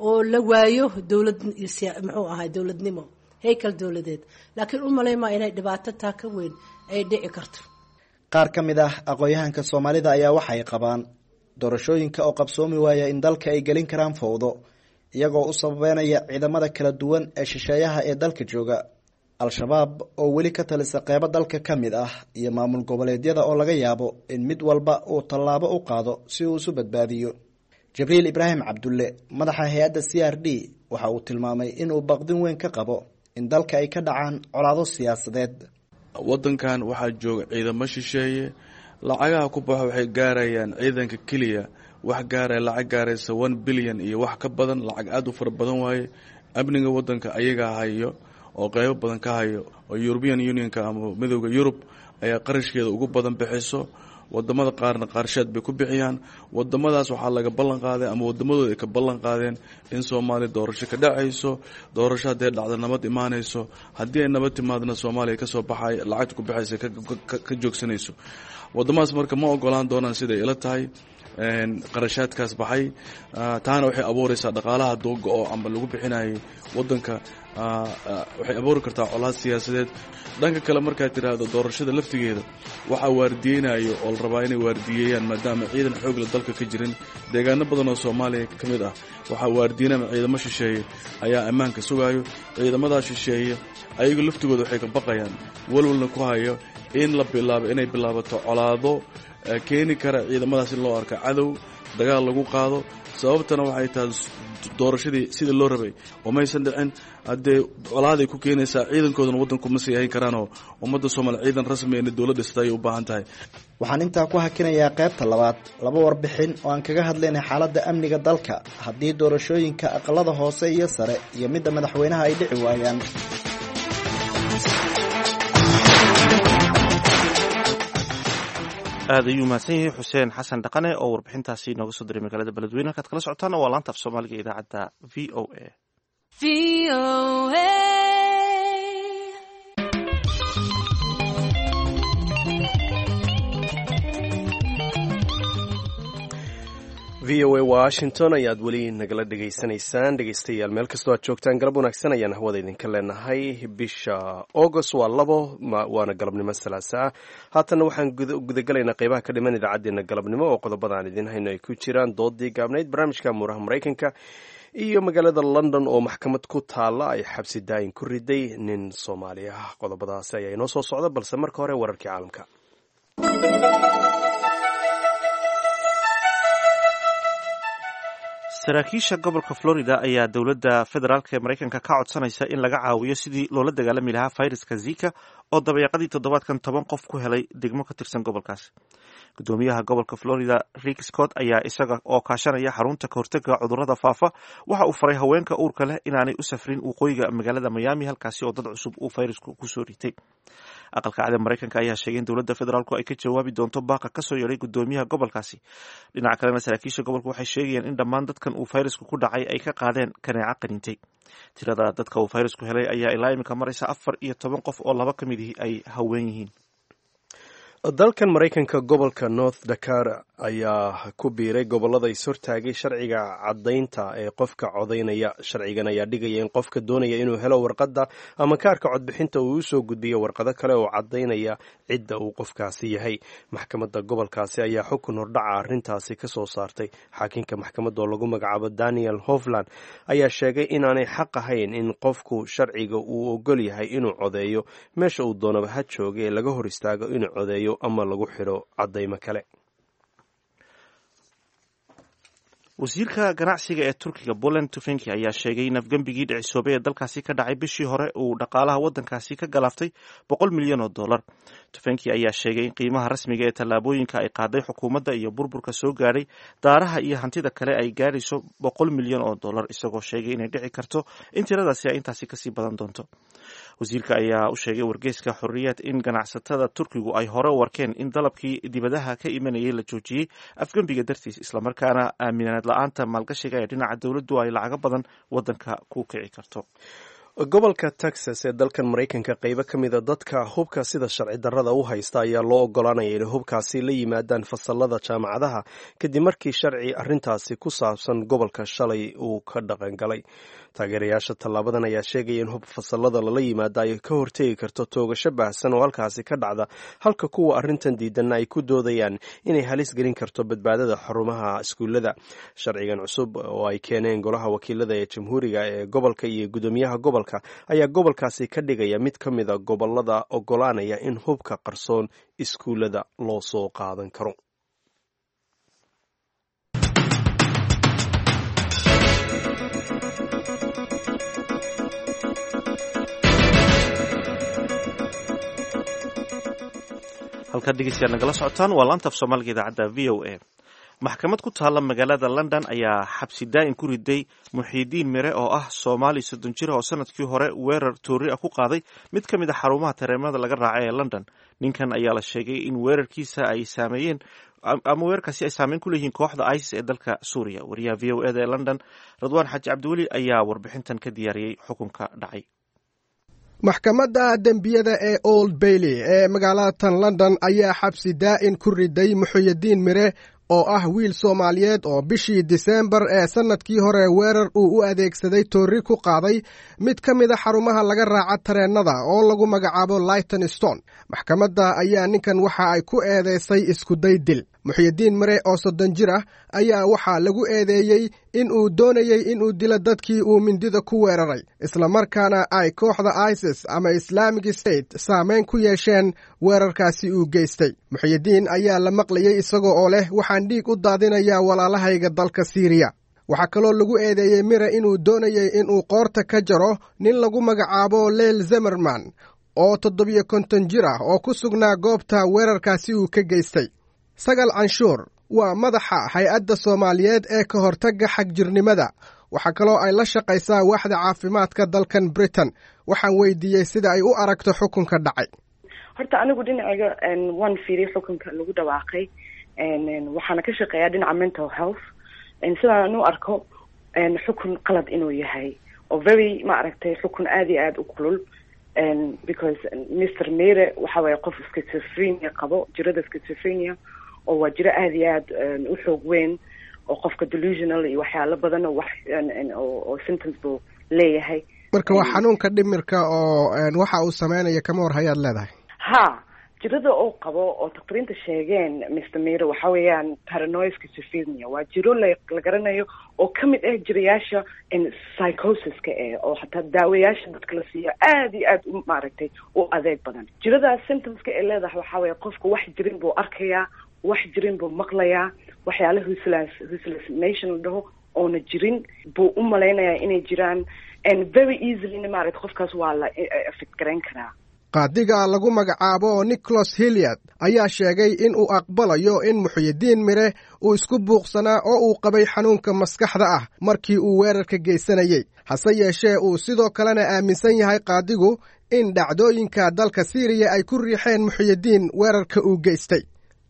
oo la waayo dowlad, muxuu ahay, dowladnimo, haykal dowladeed, laakiin u malaymaa inay dhibaato taa ka weyn ay dhici karto. Qaar ka mid ah aqoon-yahanka Soomaalida ayaa waxay qabaan doorashooyinka oo qabsoomi waaya in dalka ay gelin karaan fowdo, iyagoo u sababeynaya ciidamada kala duwan ee shisheeyaha ee dalka jooga, Al-Shabaab oo weli ka talisa qeybo dalka ka mid ah, iyo maamul goboleedyada oo laga yaabo in mid walba uu tallaabo u qaado si uu isu badbaadiyo. Jibriil Ibraahim Cabdulle, madaxa hay-adda CRD, waxa uu tilmaamay inuu baqdin weyn ka qabo in dalka ay ka dhacaan colaado siyaasadeed. Waddankan waxaa jooga ciidamo shisheeye. Lacagaha ku baxo waxay gaarayaan ciidanka keliya wax gaaraya lacag gaaraysa 1 bilyan iyo wax ka badan, lacag aada u fara badan waaye. Amniga waddanka ayagaa hayo oo qeybo badan ka hayo, oo European Unionka ama Midowda Yurub ayaa qarashkeeda ugu badan bixiso. Wadamada qaarna qaarsheed bay ku bixiyaan. Wadamadaas waxaa laga ballan qaaday ama wadamadooda ay ka ballan qaadeen in Soomaaliya doorasho ka dhacayso. Doorasho haddee dhacda, nabad imaanayso. Haddii ay nabad timaadna, Soomaaliya kasoo baxay lacagta ku baxaysa ka joogsanayso. Wadamadaas marka ma ogolaan doonaan, siday ila tahay, qarashaadkaas baxay. Taana waxay abuureysaa dhaqaalaha dooga-o amba lagu bixinayay wadanka, waxay abuuri kartaa colaad siyaasadeed. Dhanka kale, markaad tiraahdo doorashada laftigeeda waxaa waardiyeynayo oo la rabaa inay waardiyeeyaan, maadaama ciidan xoogle dalka ka jirin deegaano badan oo Soomaaliya ka mid ah, waxaa waardiyenama ciidamo shisheeye ayaa ammaanka sugaayo. Ciidamadaa shisheeye ayagu laftigooda waxay ka baqayaan, walwalna ku hayo, in la bilaabo inay bilaabato colaado keeni kara ciidamadaas in loo arko cadow, dagaal lagu qaado. Sababtana waxay tahay doorashadii sidii loo rabay oo maysan dhicin. Haddee colaaday ku keenaysaa, ciidankoodana waddanku ma sii hayn karaanoo ummadda Soomaaliya ciidan rasmi inay dowladda dhisata ayay u baahan tahay. Waxaan intaa ku hakinayaa qaybta labaad laba warbixin oo aan kaga hadlaynay xaaladda amniga dalka haddii doorashooyinka aqalada hoose iyo sare iyo midda madaxweynaha ay dhici waayaan. Aad ayuu mahadsan yahay Xuseen Xasan Dhaqane oo warbixintaasi inooga soo diray magaalada Beledweyne. Halkaad kala socotaana waa laanta af Soomaaliga ee idaacadda VOA. VOA Washington ayaad weli nagala dhegaysanaysaan, dhegeystayaal. Meel kastoo aad joogtaan, galab wanaagsan ayaan hawada idinka leenahay. Bisha August waa 2, waana galabnimo Salaasa ah. Haatanna waxaan gudagalaynaa qeybaha ka dhiman idaacaddeenna galabnimo, oo qodobada aan idiin hayno ay ku jiraan doodii gaabnayd, barnaamijka muuraha Maraykanka Iyo magaalada London oo maxkamad ku taalla ay xabsi daayin ku riday nin Soomaali ah. Qodobadaasi ayaa inoo soo socda, balse marka hore wararkii caalamka. Saraakiisha gobolka Florida ayaa dowladda federaalk ee Maraykanka ka codsanaysa in laga caawiyo sidii loola dagaalami lahaa fayraska Zika oo dabayaaqadii toddobaadkan 10 qof ku helay degmo ka tirsan gobolkaasi. Gudoomiyaha gobolka Florida, Rick Scott, ayaa isaga oo kaashanaya xarunta kahortaga cudurrada faafa waxa uu faray haweenka uurka leh inaanay u safrin waqooyiga magaalada Miami, halkaasi oo dad cusub uu fayrasku kusoo ritay. Aqalka Cad ee Maraykanka ayaa sheegay in dowladda federaalku ay ka jawaabi doonto baaqa kasoo yeedhay gudoomiyaha gobolkaasi. Dhinaca kalena, saraakiisha gobolka waxay sheegayaan in dhammaan dadkan uu fayrasku ku dhacay ay ka qaadeen kaneeco qaniintay. Tirada dadka uu fayrasku helay ayaa ilaa imika maraysa 14 qof oo laba ka mid ihi ay haween yihiin. Dalkan Maraykanka, gobolka North Dakota ayaa ku biiray gobollada is-hortaagay sharciga caddaynta ee qofka codaynaya. Sharcigan ayaa dhigaya in qofka doonaya inuu helo warqadda ama kaarka codbixinta uu usoo gudbiyo warqado kale oo caddaynaya cidda uu qofkaasi yahay. Maxkamadda gobolkaasi ayaa xukun hordhaca arrintaasi ka soo saartay. Xaakinka maxkamadda oo lagu magacaabo Daniel Hofland ayaa sheegay inaanay xaq ahayn in qofku sharciga uu ogol yahay inuu codeeyo meesha uu doonaba ha jooga ee laga hor istaago inuu codeeyo ama lagu xidho caddaymo kale. Wasiirka ganacsiga ee Turkiga, Poland Tufenki, ayaa sheegay in afgembigii dhicisoobay ee dalkaasi ka dhacay bishii hore uu dhaqaalaha waddankaasi ka galaaftay 100 milyan oo dollar. Tufenki ayaa sheegay in qiimaha rasmiga ee tallaabooyinka ay qaaday xukuumadda iyo burburka soo gaadhay daaraha iyo hantida kale ay gaadhayso 100 milyan oo dollar, isagoo sheegay inay dhici karto in tiradaasi ay intaasi kasii badan doonto. Wasiirka ayaa u sheegay wargeyska Xorriyaad in ganacsatada Turkigu ay hore u arkeen in dalabkii dibadaha ka imanayay la joojiyey afgembiga dartiis, islamarkaana aaminaad la-aanta maalgashiga ee dhinaca dowladdu ay lacago badan waddanka ku kici karto. Gobolka Texas ee dalkan Maraykanka, qeybo ka mida dadka hubka sida sharci darrada u haysta ayaa loo ogolaanaya inay hubkaasi la yimaadaan fasalada jaamacadaha, kadib markii sharci arrintaasi ku saabsan gobolka shalay uu ka dhaqangalay. Taageerayaasha tallaabadan ayaa sheegaya in hub fasalada lala yimaada ay ka hortegi karto toogasho baahsan oo halkaasi ka dhacda, halka kuwa arrintan diidanna ay ku doodayaan inay halis gelin karto badbaadada xarumaha iskuullada. Sharcigan cusub oo ay keeneen golaha wakiilada ee jamhuuriga ee gobolka iyo gudoomiyaha gobolka ayaa gobolkaasi ka dhigaya mid ka mida gobolada ogolaanaya in hubka qarsoon iskuullada loo soo qaadan karo. Halkaad dhegeystayaal nagala socotaan waa laanta af Soomaaliga idaacadda VOA. Maxkamad ku taalla magaalada London ayaa xabsi daa'im ku riday Muxiidiin Mire oo ah Soomaali 30 jir oo sanadkii hore weerar toori ah ku qaaday mid ka mid a xarumaha tareemada laga raacay ee London. Ninkan ayaa la sheegay in weerarkiisa ay saameeyeen ama weerarkaasi ay saameyn ku leeyihiin kooxda ISIS ee dalka Suuriya. Wariyaha VOA da ee London, Radwaan Xaaji Cabdiweli, ayaa warbixintan ka diyaariyey xukunka dhacay. Maxkamadda dembiyada ee Old Bailey ee magaalada tan London ayaa xabsi daa'in ku riday Muxuyidiin Mire oo ah wiil Soomaaliyeed oo bishii Diseembar ee sannadkii hore weerar uu u adeegsaday toorri ku qaaday mid ka mida xarumaha laga raaca tareennada oo lagu magacaabo Leytonstone. Maxkamadda ayaa ninkan waxa ay ku eedeysay iskuday dil. Muxyidiin Mire oo 30 jir ah ayaa waxaa lagu eedeeyey in uu doonayey inuu dilo dadkii uu mindida ku weeraray, islamarkaana ay kooxda ISIS ama Islamic State saameyn ku yeesheen weerarkaasi uu geystay. Muxyidiin ayaa la maqlayey isagoo oo leh: "Waxaan dhiig u daadinayaa walaalahayga dalka Siiriya." Waxaa kaloo lagu eedeeyey Mire inuu doonayey inuu qoorta ka jaro nin lagu magacaabo Leel Zemerman oo 57 jir ah oo ku sugnaa goobta weerarkaasi uu ka geystay. Sagal Canshuur waa madaxa hay-adda Soomaaliyeed ee ka hortagga xagjirnimada. Waxaa kaloo ay la shaqaysaa waaxda caafimaadka dalkan Britain. Waxaan weydiiyey sida ay u aragto xukunka dhacay. Horta anigu dhinacayga waan fiiriyay xukunka lagu dhawaaqay, waxaana ka shaqeeyaa dhinaca mental health. Sidaan u arko xukun qalad inuu yahay oo very, ma aragtay, xukun aada iyo aada u kulul, because Mr Mere waxa waye qof schizophrenia qabo, jirada schizophrenia, oo waa jiro aada iyo aada u xoog weyn oo qofka delusional iyo waxyaalo badan oo wax oo symptoms buu leeyahay. Marka waa xanuunka dhimirka oo waxa uu sameynaya kama war hayaad leedahay? Ha, Jirada oo qabo oo takhtariinta sheegeen Mr. Mira waxa weeyaan paranoid schizophrenia. Waa jiro la garanayo oo ka mid ah jirayaasha psychosiska oo xataa daawayaasha dadka la siiyo aad iyo aad u maaragtay u adeeg badan. Jiradaas symptomska ay leedahay waxaa weeye qofka wax jirin buu arkayaa, wax jirin buu maqlayaa, waxyaala hallucination la dhaho oona jirin buu u malaynayaa inay jiraan, and very easily maaragtay qofkaas waa la affect garayn karaa. Qaadiga lagu magacaabo Nicholas Hilliard ayaa sheegay in uu aqbalayo in Muxyidiin Mire uu isku buuqsanaa oo uu qabay xanuunka maskaxda ah markii uu weerarka geysanayey, hase yeeshee uu sidoo kalena aaminsan yahay qaadigu in dhacdooyinka dalka Siiriya ay ku riixeen Muxyidiin weerarka uu geystay.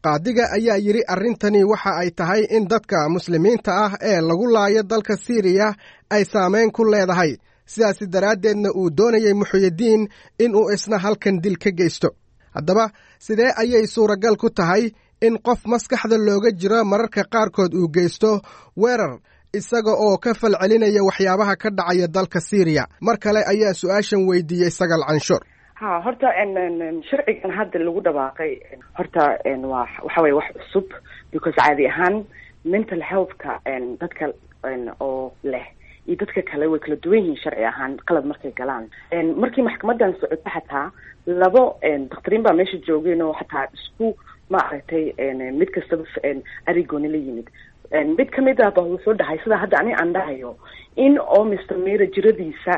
Qaadiga ayaa yidhi arrintani waxa ay tahay in dadka muslimiinta ah ee lagu laayo dalka Siiriya ay saamayn ku leedahay, sidaasi daraaddeedna uu doonayey Muxyidiin inuu isna halkan dil ka geysto. Haddaba sidee ayay suuragal ku tahay in qof maskaxda looga jiro mararka qaarkood uu geysto weerar isaga oo ka falcelinaya waxyaabaha ka dhacaya dalka Siiriya? Mar kale ayaa su-aashan weydiiyey Sagal Canshuur. Ha, horta sharcigan hadda lagu dhawaaqay horta waa waxa weye wax cusub, because caadi ahaan mental healthka dadka oo leh iyo dadka kale way kala duwan yihiin sharci ahaan qalad markay galaan. Markii maxkamadan socoto xataa labo dakhtariin baa meesha joogeen oo xataa isku maaragtay mid kastaba arigooni la yimid. Mid kamid ah ba wuxuu dhahay sida hadda ani aan dhahayo in oo Mr. Mira jiradiisa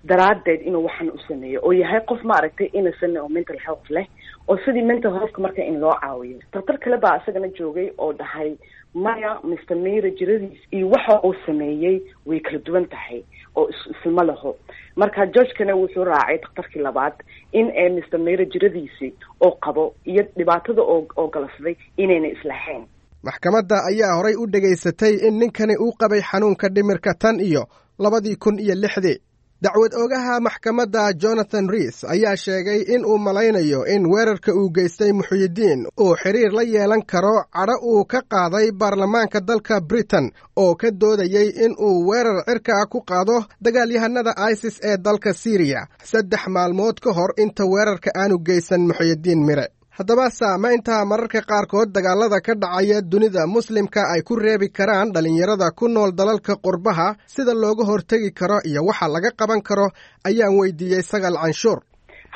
daraaddeed inuu waxan u sameeyo oo yahay qof maaragtay innocent oo mental health leh oo sidii mental healthka marka in loo caawiyo. Daktar kale baa isagana joogay oo dhahay maya, Mr. Mira jiradiis iyo waxa uu sameeyey way kala duwan tahay oo islama laho. Marka judgekana wuxuu raacay daktarkii labaad in ee Mr. Mira jiradiisii oo qabo iyo dhibaatada oo galafday inayna islahayn. Maxkamadda ayaa horay u dhegaysatay in ninkani uu qabay xanuunka dhimirka tan iyo 2006-dii. Dacwad oogaha maxkamadda Jonathan Rees ayaa sheegay in uu malaynayo in weerarka uu geystay Muxyidiin uu xiriir la yeelan karo cadho uu ka qaaday baarlamaanka dalka Britain oo ka doodayey in uu weerar cirka ah ku qaado dagaalyahanada ISIS ee dalka Siiriya 3 maalmood ka hor inta weerarka aanu geysan Muxyidiin Mire. Haddaba saamaynta mararka qaarkood dagaalada ka dhacaya dunida muslimka ay ku reebi karaan dhallinyarada ku nool dalalka qurbaha, sida looga hortegi karo iyo waxa laga qaban karo ayaan weydiiyey Sagal Canshuur.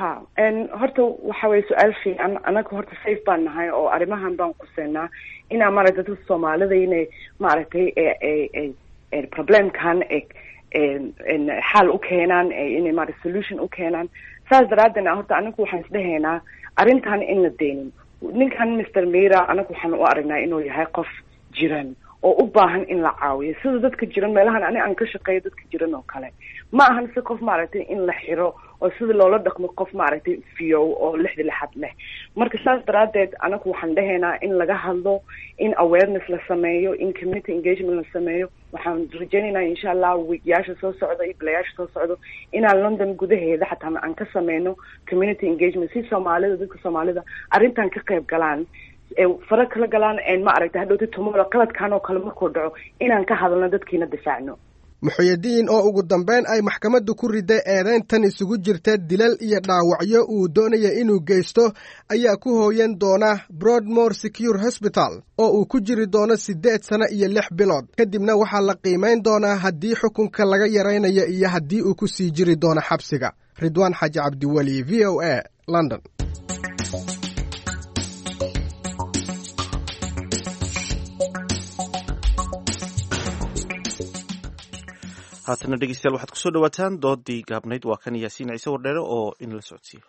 Ha, horta waxa weye su-aal fiican. Anaga horta safe baan nahay oo arrimahan baan quseynaa inaa maaragtay dadka Soomaalida inay maaragtay problemkan xaal u keenaan, inay maaragtay solution u keenaan. Saas daraaddeedna horta anagu waxaan isdhehaynaa arrintan in la deenin ninkan Mr. Mira. Anagu waxaan u aragnaa inuu yahay qof jiran oo u baahan in la caawiyo sida dadka jiran meelahan ani aan ka shaqeeyo dadka jiran oo kale. Ma ahan si qof maaragtay in la xiro oo sida loola dhaqmo qof maaragtay fiyow oo lixda lixad leh. Marka saas daraaddeed anagu waxaan dhehaynaa in laga hadlo, in awareness la sameeyo, in community engagement la sameeyo. Waxaan rajaynaynaa insha Allah weekyaasha soo socda iyo bilayaasha soo socdo inaan London gudaheeda xataa aan ka sameyno community engagement si Soomaalida, dadka Soomaalida arrintan ka qayb galaan, fara kala galaan, ma aragtay hadhowti tomorrow qaladkan oo kale markuu dhaco inaan ka hadalno, dadkiina difaacno. Muxyidiin oo ugu dambeyn ay maxkamaddu ku riday eedayntan isugu jirta dilal iyo dhaawacyo uu doonaya inuu geysto ayaa ku hooyan doona Broadmoor Secure Hospital oo uu ku jiri doono 8 sano iyo 6 bilood. Kadibna waxaa la qiimayn doonaa haddii xukunka laga yaraynayo iyo haddii uu ku sii jiri doono xabsiga. Ridwaan Xaaji Cabdiweli, VOA, London. Haatana dhegeystayaal waxaad kusoo dhawaataan doodii gaabnayd. Waa kan Yaasiin Ciise Wardheere oo inala socodsiiyo.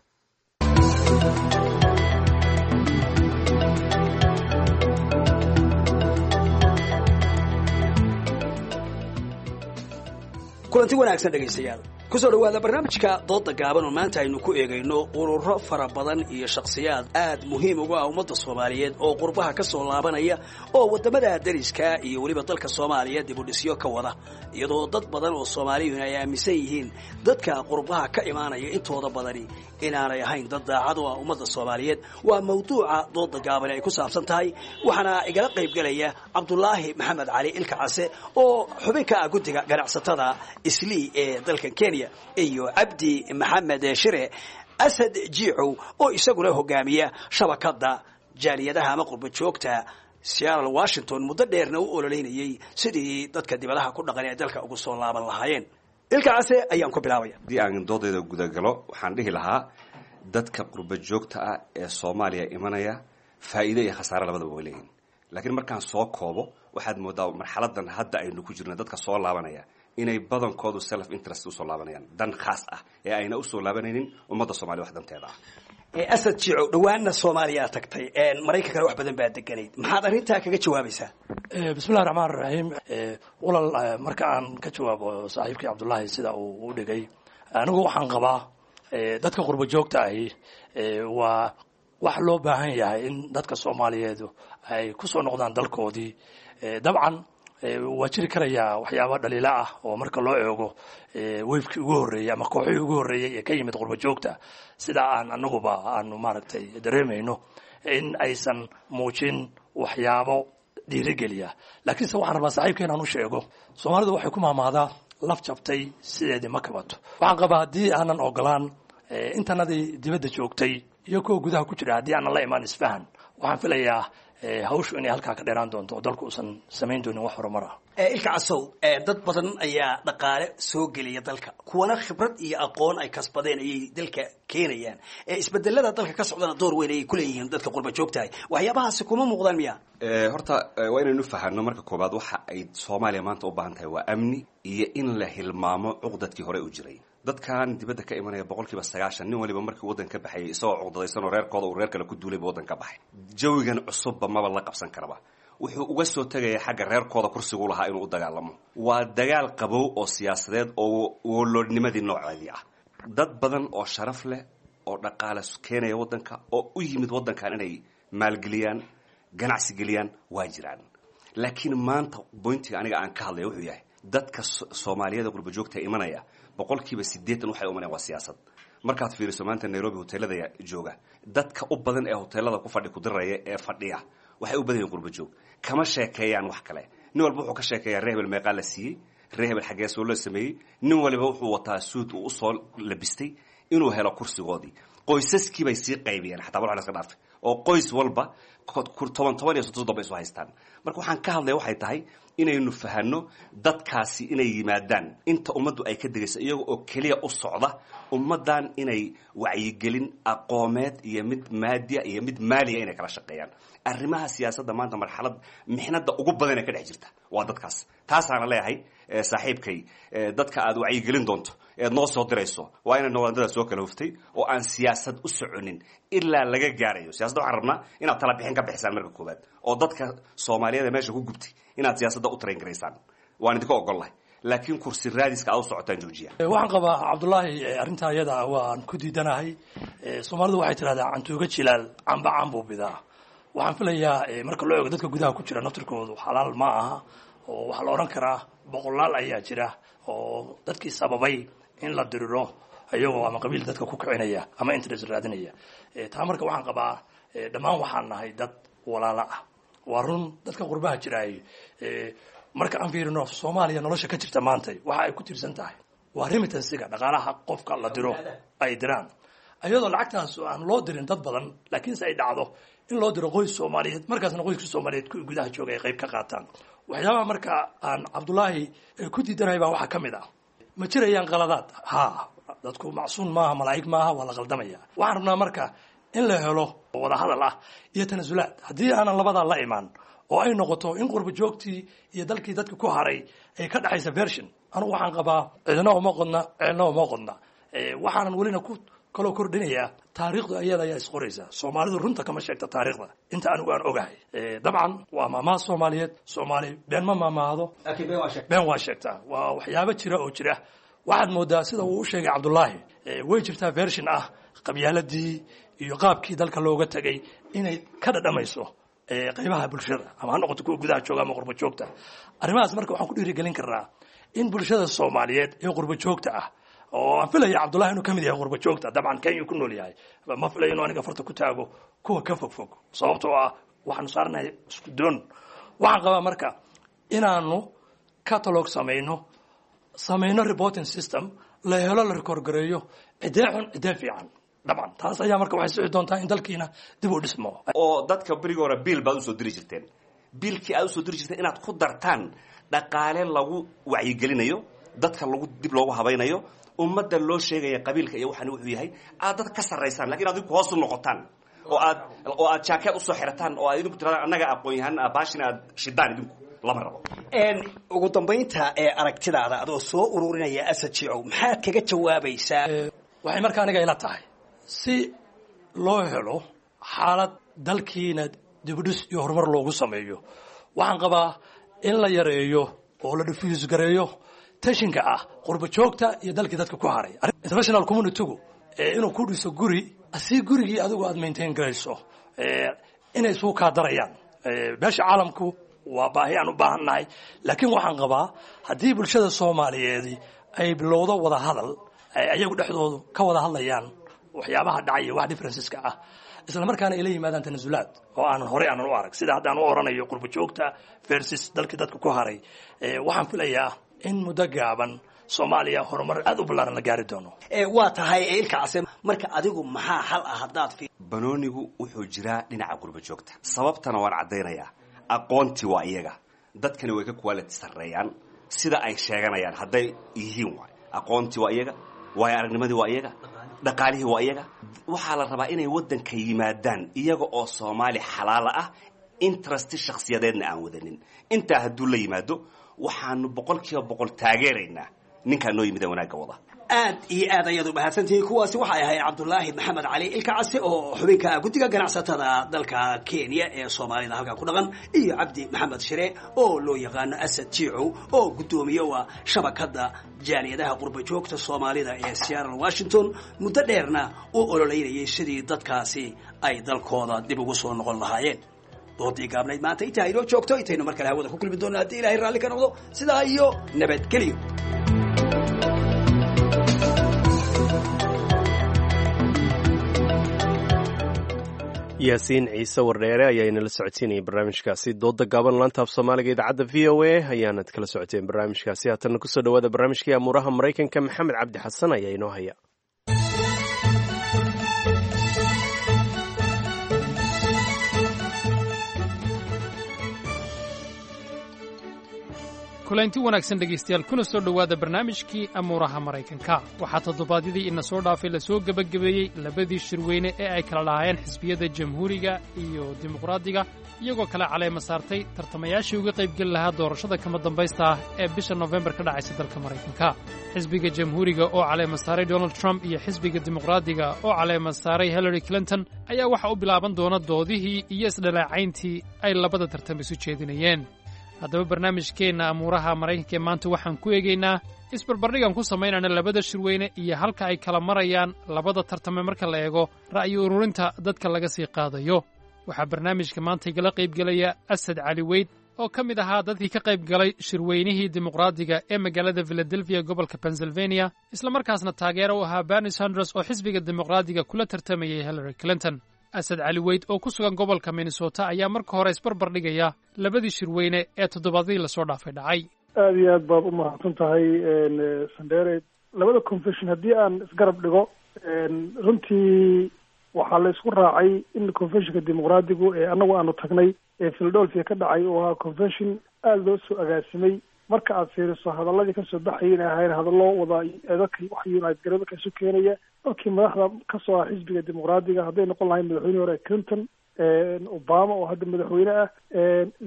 Kulanti wanaagsan dhegaystayaal, kusoo dhawaada barnaamijka dooda gaaban oo maanta aynu ku eegayno ururo fara badan iyo shakhsiyaad aad muhiim uga ah ummadda Soomaaliyeed oo qurbaha ka soo laabanaya oo waddamada dariska iyo weliba dalka Soomaaliya dib u dhisyo ka wada, iyadoo dad badan oo Soomaaliyuun ay aaminsan yihiin dadka qurbaha ka imaanaya intooda badani inaanay ahayn dad daacad u ah ummadda Soomaaliyeed. Waa mawduuca dooda gaaban ay ku saabsan tahay, waxaana igala qaybgelaya Cabdulaahi Maxamed Cali Ilka Case oo xubin ka ah guddiga ganacsatada Islii ee dalkan Kenya, iyo Cabdi Maxamed Shire Asad Jiicow oo isaguna hogaamiya shabakadda jaaliyadaha ama qurba joogta Seattle Washington, muddo dheerna u ololeynayay sidii dadka dibadaha ku dhaqan ee dalka ugu soo laaban lahaayeen. Ilka Case ayaan ku bilaabaya. Haddii aan doodayda gudagalo, waxaan dhihi lahaa dadka qurba joogta ah ee Soomaaliya imanaya faa'iido iyo khasaare labadaba way leeyihin. Laakiin markaan soo koobo, waxaad moodaa marxaladan hadda aynu ku jirno dadka soo laabanaya inay badankoodu self interest usoo laabanayaan, dan khaas ah, ee ayna usoo laabanaynin ummadda Soomaliya wax danteeda ah. Asad Jiicow, dhawaanna Soomaaliya tagtay, Maraykankana wax badan baa deganayd, maxaad arrintaa kaga jawaabaysaa? Bismillahi raxmaan raxiim. Walaal, marka aan ka jawaabo saaxiibkii Cabdullaahi sida uu u dhigay, anigu waxaan qabaa dadka qurba joogta ahi waa wax loo baahan yahay in dadka Soomaaliyeed ay ku soo noqdaan dalkoodii. Dabcan waa jiri karayaa waxyaaba dhaliilo ah oo marka loo eego wave-kii ugu horreeyey ama kooxihii ugu horreeyey ee ka yimid qurba joogta, sida aan anaguba aanu maaragtay dareemayno in aysan muujin waxyaabo dhiirigeliya. Laakiinse waxaan rabaa saaxiibka inaan u sheego, Soomaalidu waxay ku maahmaahdaa laf jabtay sideedii ma kabato. Waxaan qabaa haddii aanan ogolaan intanadii dibadda joogtay iyo kuwa gudaha ku jira, haddii aanan la imaan isfahan, waxaan filayaa hawshu inay halkaa ka dheeraan doonto oo dalku uusan samayn doonin wax horumar ah. Ilka Casow, dad badan ayaa dhaqaale soo geliya dalka, kuwana khibrad iyo aqoon ay kasbadeen ayay dalka keenayaan. Isbedelada dalka ka socdana door weyn ayay kuleeyihiin dadka qurba joogtahay. Waxyaabahaasi kuma muuqdaan miya? Horta waa inaynu fahanno marka koobaad waxa ay Soomaaliya maanta u baahan tahay waa amni iyo in la hilmaamo cuqdadkii hore u jiray. Dadkan dibadda ka imanaya 90% nin waliba markii waddan ka baxayay isagoo cuqdadaysan oo reerkooda uu reer kale ku duulay buu waddan ka baxay. Jawigan cusubba maba la qabsan karaba. Wuxuu uga soo tegaya xagga reerkooda kursigu lahaa inuu u dagaalamo. Waa dagaal qabow oo siyaasadeed oo woloodnimadii nooceedii ah. Dad badan oo sharaf leh oo dhaqaale keenaya waddanka oo u yimid waddankan inay maalgeliyaan, ganacsi geliyaan waa jiraan. Laakiin maanta point-iga aniga aan ka hadlaya wuxuu yahay dadka Soomaaliyada qurba joogta imanaya 80% waxay u imanayaan waa siyaasad. Markaad fiiriso maanta Nairobi hoteelada jooga, dadka u badan ee hoteelada ku fadhi ku diraya ee fadhiya waxay u badan yihiin qurba joog. Kama sheekeeyaan wax kale. Nin walba wuxuu ka sheekeeyaa reer hebel meeqaa la siiyey, reer hebel xaggee soo loo sameeyey. Nin waliba wuxuu wataa suud uu usoo labistay inuu helo kursigoodii. Qoysaskii bay sii qaybiyeen xataa wax la iska dhaafay oo qoys walba 10 10 iyo 30 bay isu haystaan. Marka waxaan ka hadlaya waxay tahay inaynu fahanno dadkaasi inay yimaadaan inta ummaddu ay ka degayso iyaga oo keliya u socda ummaddan inay wacyigelin aqoomeed iyo mid maadiya iyo mid maaliya inay kala shaqeeyaan arrimaha siyaasadda. Maanta marxalad mixnada ugu badan ee ka dhex jirta waa dadkaas. Taasaana leeyahay saaxiibkay, dadka aad wacyigelin doonto eed noo soo dirayso waa inay noqdaan soo kala huftay oo aan siyaasad u soconin ilaa laga gaarayo siyaasadda. Waxaan rabnaa inaad tala bixin ka bixisaan marka koowaad oo dadka Soomaaliyeed ee meesha ku gubtay inaad siyaasadda u train garaysaan, waan idinka ogollahay, laakiin kursi raadiska aad u socotaan joojiya. Waxaan qabaa Cabdullaahi, arrintaa iyada waan ku diidanahay. Soomaalidu waxay tidhahdaa cantuuga jilaal camba cambuu bidaa. Waxaan filayaa marka loo eego dadka gudaha ku jira naftirkoodu xalaal ma aha, oo waxaa la odhan karaa boqolaal ayaa jira oo dadkii sababay in la diriro iyagoo ama qabiil dadka ku kicinaya ama interest raadinaya. Taa marka waxaan qabaa dhammaan waxaan nahay dad walaalo ah. Waa run dadka qurbaha jiraay, marka aan fiirino Soomaaliya nolosha ka jirta maantay waxa ay ku tiirsan tahay waa remittance-ga, dhaqaalaha qofka la diro ay diraan, iyadoo lacagtaas aan loo dirin dad badan, laakiinse ay dhacdo in loo diro qoys Soomaaliyeed, markaasna qoyska Soomaaliyeed kuwii gudaha jooga ay qayb ka qaataan. Waxyaabaha marka aan Cabdullaahi ku diidanahay baa waxaa ka mid ah, ma jirayaan qaladaad? Haa, dadku macsuun maaha, malaa'ig maaha, waa la qaldamaya. Waxaan rabnaa marka in la helo wadahadal ah iyo tanasulaad. Haddii aanan labadaa la imaan oo ay noqoto in qurba joogtii iyo dalkii dadka ku haray ay ka dhexaysa version, anugu waxaan qabaa cidna uma qodna, ceelna uma qodna. Waxaanan welina ku kaloo kordhinayaa, taariikhdu ayada ayaa isqoraysa. Soomaalidu runta kama sheegta taariikhda inta anigu aan ogahay. Dabcan waa maamaha Soomaaliyeed, Soomaali been ma maamaahdo, been waa sheegtaa. Waa waxyaabo jira oo jira. Waxaad moodaa sida uu u sheegay Cabdullaahi, way jirtaa version ah qabyaaladii iyo qaabkii dalka looga tegay inay ka dhadhamayso qaybaha bulshada, ama ha noqoto kuwa gudaha jooga ama qurba joogta. Arrimahaas marka waxaan ku dhiirigelin karnaa in bulshada Soomaaliyeed ee qurba joogta ah, oo aan filaya Cabdullahi inuu ka mid yahay qurba joogta, dabcan Kenya ku nool yahay, ma filayo inuu aniga farta ku taago kuwa ka fog fog, sababtoo ah waxaanu saarnahay isku doon. Waxaan qabaa marka inaanu catalog samayno reporting system la helo, la record gareeyo cidee xun, cidee fiican. Dabcan taas ayaa marka waxay sixi doontaa in dalkiina dib u dhismo. Oo dadka berigi hore biil baad usoo diri jirteen, biilkii aad usoo diri jirteen inaad ku dartaan dhaqaale lagu wacyigelinayo dadka, lagu dib loogu habaynayo ummadda, loo sheegaya qabiilka iyo waxaan wuxuu yahay, aad dad ka sarraysaan, lakin adinku hoos u noqotaan oo aad jaakeed usoo xirataan oo aad idinku tiradaan annaga aqoon-yahan baashina aad shidaan, idinku lama rabo. Ugu dambaynta ee aragtidaada adoo soo ururinaya, Asad Jiicow, maxaad kaga jawaabaysaa? Waxay marka aniga ila tahay si loo helo xaalad dalkiina dibudhis iyo horumar loogu sameeyo, waxaan qabaa in la yareeyo oo la diffuse gareeyo tensionka ah qurba joogta iyo dalkii dadka ku haray. International communitygu inuu ku dhiso guri si gurigii adigu aad maintain garayso inay isugu kaa darayaan beesha caalamku waa baahi aan u baahan nahay, laakiin waxaan qabaa haddii bulshada Soomaaliyeedi ay bilowdo wada hadal ay ayagu dhexdoodu ka wada hadlayaan waxyaabaha dhacaya, wax differenceska ah, isla markaana ay la yimaadaan tanasulaad oo aanan horey aanan u arag, sida haddaan u oranayo qurba joogta versus dalkii dadka ku haray, waxaan filayaa in muddo gaaban Soomaaliya horumar aad u ballaaran la gaari doono. Waa tahay, Ilka Case, marka adigu maxaa xal ah haddaad Banoonigu wuxuu jiraa dhinaca qurba joogta, sababtana waan caddaynayaa. Aqoontii waa iyaga, dadkani way ka quality sarreeyaan sida ay sheeganayaan hadday yihiin. Waay aqoontii waa iyaga, waayo aragnimadii waa iyaga, dhaqaalihii waa iyaga. Waxaa la rabaa inay waddanka yimaadaan iyaga oo Soomaali xalaala ah, interest shakhsiyadeedna aan wadanin. Intaa hadduu la yimaado, waxaanu 100% taageeraynaa ninkaa noo yimid ee wanaagga wada. Aad iyo aad ayaad u mahadsantihiin. Kuwaasi waxay ahayd Cabdulaahi Maxamed Cali Ilkacase oo xubinka guddiga ganacsatada dalka Kenya ee Soomaalida halkaa ku dhaqan, iyo Cabdi Maxamed Shire oo loo yaqaano Asad Jiicow oo guddoomiye wa shabakadda jaaliyadaha qurba joogta Soomaalida ee Seattle, Washington, muddo dheerna u ololeynayay sidii dadkaasi ay dalkooda dib ugu soo noqon lahaayeen. Doodii gaabnayd maanta intaa inoo joogto. Intaynu mar kale hawada ku kulmi doonno haddii Ilaahay raalli ka noqdo, sidaa iyo nabadgelyo. Yaasiin Ciise Wardheere ayaa inala socodsiinayay barnaamijkaasi dooda gaaban. Laanta af Soomaaliga idaacadda VOA ayaanad kala socoteen barnaamijkaasi. Haatanna kusoo dhawaada barnaamijkii amuuraha Maraykanka. Maxamed Cabdi Xasan ayaa inoo haya. Kulanti wanaagsan dhegaystayaal, kuna soo dhowaada barnaamijkii amuuraha Maraykanka. Waxaa toddobaadyadii ina soo dhaafay lasoo gebagabeeyey labadii shirweyne ee ay kala lahaayeen xisbiyada Jamhuuriga iyo Dimuqraadiga, iyagoo kala caleema saartay tartamayaashii uga qaybgeli lahaa doorashada kama dambaysta ah ee bisha Nofembar ka dhacaysa dalka Maraykanka. Xisbiga Jamhuuriga oo caleema saaray Donald Trump iyo xisbiga Dimuqraadiga oo caleema saaray Hillary Clinton ayaa waxa u bilaaban doona doodihii iyo isdhalaacayntii ay labada tartam isu jeedinayeen. Haddaba barnaamijkeenna amuuraha Maraykanka ee maanta waxaan ku eegaynaa isbarbardhigan ku samaynayna labada shirweyne iyo halka ay kala marayaan labada tartame marka la eego ra'yi ururinta dadka laga sii qaadayo. Waxaa barnaamijka maanta igala qaybgelaya Asad Cali Weyd oo ka mid ahaa dadkii ka qayb galay shirweynihii Dimuqraadiga ee magaalada Philadelphia, gobolka Pennsylvania, islamarkaasna taageero u ahaa Bernie Sanders oo xisbiga Dimuqraadiga kula tartamayay Hillary Clinton. Asad Cali Weyd oo ku sugan gobolka Minnesota ayaa marka hore isbarbar dhigaya labadii shirweyne ee toddobaadadii lasoo dhaafay dhacay. Aada iyo aad baad u mahadsan tahay, Sandere. Labada convention haddii aan isgarab dhigo, runtii waxaa la isku raacay in conventionka Dimuqraadigu ee annagu aanu tagnay ee Philadelphia ka dhacay oo ahaa convention aada loo soo agaasimay. Marka aad fiiriso hadaladii kasoo baxayay inay ahayn hadallo wada dadka wax unite gareeyo, dadka isu keenaya, dadkii madaxda kasoo ah xisbiga Dimuqraadiga, hadday noqon lahayn madaxweynihii hore Clinton, Obama oo hadda madaxweyne ah,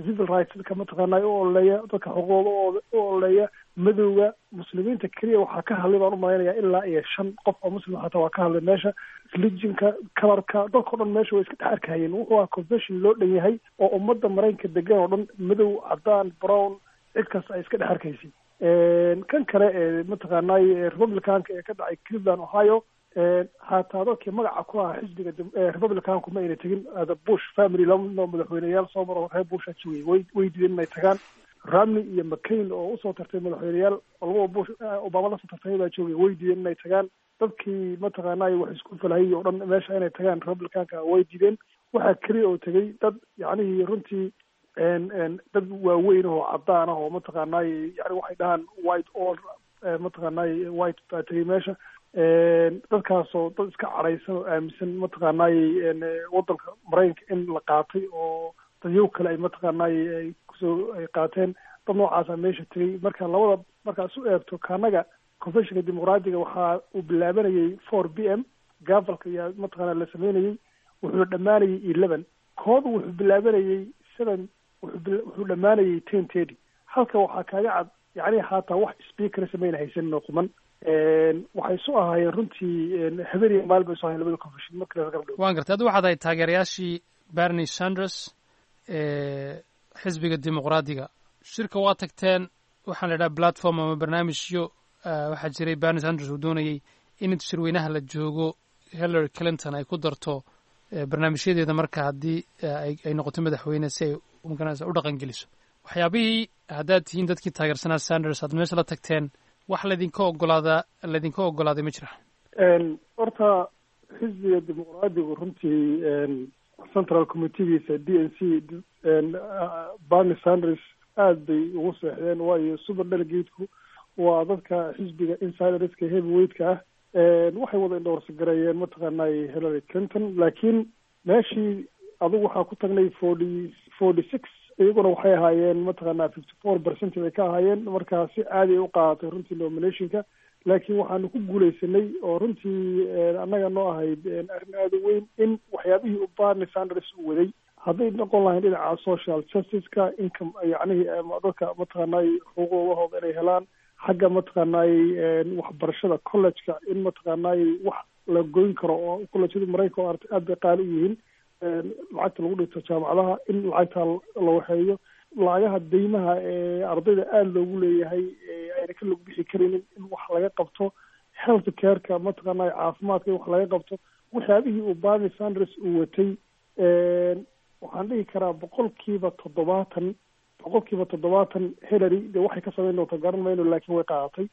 civil rights dadka mataqaanaa u ololeeya, dadka xuquuqdooda u ololeeya, madowga, muslimiinta keliya waxaa ka hadlay baan umalaynaya ilaa iyo shan qof oo muslim xataa waa ka hadlay meesha, religionka, colorka, dadka o dhan meesha way iska dhex arkahayeen. Wuxuu ahaa convention loo dhan yahay oo ummadda Maraykanka degan oo dhan, madow, cadaan, brown, cid kasta ay iska dhex arkaysay. Kan kale ee mataqaanay Republicanka ee ka dhacay Cleveland, Ohio, hataa dadkii magaca ku ahaa xisbiga Republicanku ma ayna tegin. Bush family, laba madaxweyneyaal soo maro reer Bush joogay, way diideen inay tagaan. Romney iyo McCain oo usoo tartay madaxweyneyaal oo labada Bush, Obama lasoo tartay baa joogay, way diideen inay tagaan. Dadkii mataqaanay wax isku falahayay oo dhan meesha inay tagaan Republicanka way diideen. Waxaa keliya oo tegay dad yacnihii runtii dad waaweyn oo cadaan ah oo mataqaanay yani waxay dhahaan white all mataqaanay white baa tegay meesha. Dadkaasoo dad iska cadhaysan oo aaminsan mataqaanaayey waddanka Maraykanka in la qaatay oo dadyow kale ay mataqaanaayey ay kusoo ay qaateen, dad noocaasa meesha tegay. Marka labada markaa isu eegto, kaanaga conventionka dimuqraadiga waxaa uu bilaabanayay 4 p.m., gavelka ayaa mataqaana la sameynayey, wuxuu dhammaanayay 11. Koodu wuxuu bilaabanayay 7, wuxuu dhammaanayay 10:30. Halka waxaa kaaga cad, yacni haataa wax speaker samayna haysanin oo quman. Waxay isu ahaayeen runtii habeen iyo maalin bay isu ahayen labada convention marka la garab dhigo. Waan gartay. Addu waxaad ahayd taageerayaashii Bernie Sanders ee xisbiga Dimuqraadiga. Shirka waa tagteen, waxaan la idhaha platform ama barnaamijyo waxaa jiray Bernie Sanders uu doonayey in inta shirweynaha la joogo Hillary Clinton ay ku darto barnaamijyadeeda marka haddii ay noqoto madaxweyne, si ay magaranaysa u dhaqan geliso waxyaabihii. Haddaad tihiin dadkii taageersanaa Sanders, aad meesha la tagteen, wax laydinka ogolaadaa laydinka ogolaaday ma jira? Horta xisbiga dimuqraadigu runtii central committeegiisa DNC Bernie Sanders aad bay ugu seexdeen, waayo super delegateku waa dadka xisbiga insiderska heavyweightka ah. Waxay wada endorse gareeyeen mataqaanay Hillary Clinton, laakiin meeshii adigu waxaa ku tagnay 46, iyaguna waxay ahaayeen mataqaanaa 54% bay ka ahaayeen. Marka si caadi ay u qaadatay runtii nominationka, laakiin waxaanu ku guuleysanay oo runtii annaga noo ahayd arrin aada u weyn in waxyaabihii u Bernie Sanders uu waday, hadday noqon lahayn dhinaca social justice-ka, income, yacnihii dadka mataqaanay xuquuqahooda inay helaan, xagga mataqaanay waxbarashada college-ka in mataqaanay wax la goyn karo, oo collejyada Maraykanka oo aragtay aad bay qaali u yihiin, lacagta lagu dhigto jaamacadaha in lacagta la waxeeyo, lacagaha deymaha ee ardayda aada loogu leeyahay ayna ka log bixi karaynin in wax laga qabto, health care-ka mataqaanay caafimaadka in wax laga qabto. Waxyaabihii uu Bernie Sanders uu watay waxaan dhihi karaa 70%, 70% Hillary de waxay ka samayn doonta garan mayno, laakiin way qaadatay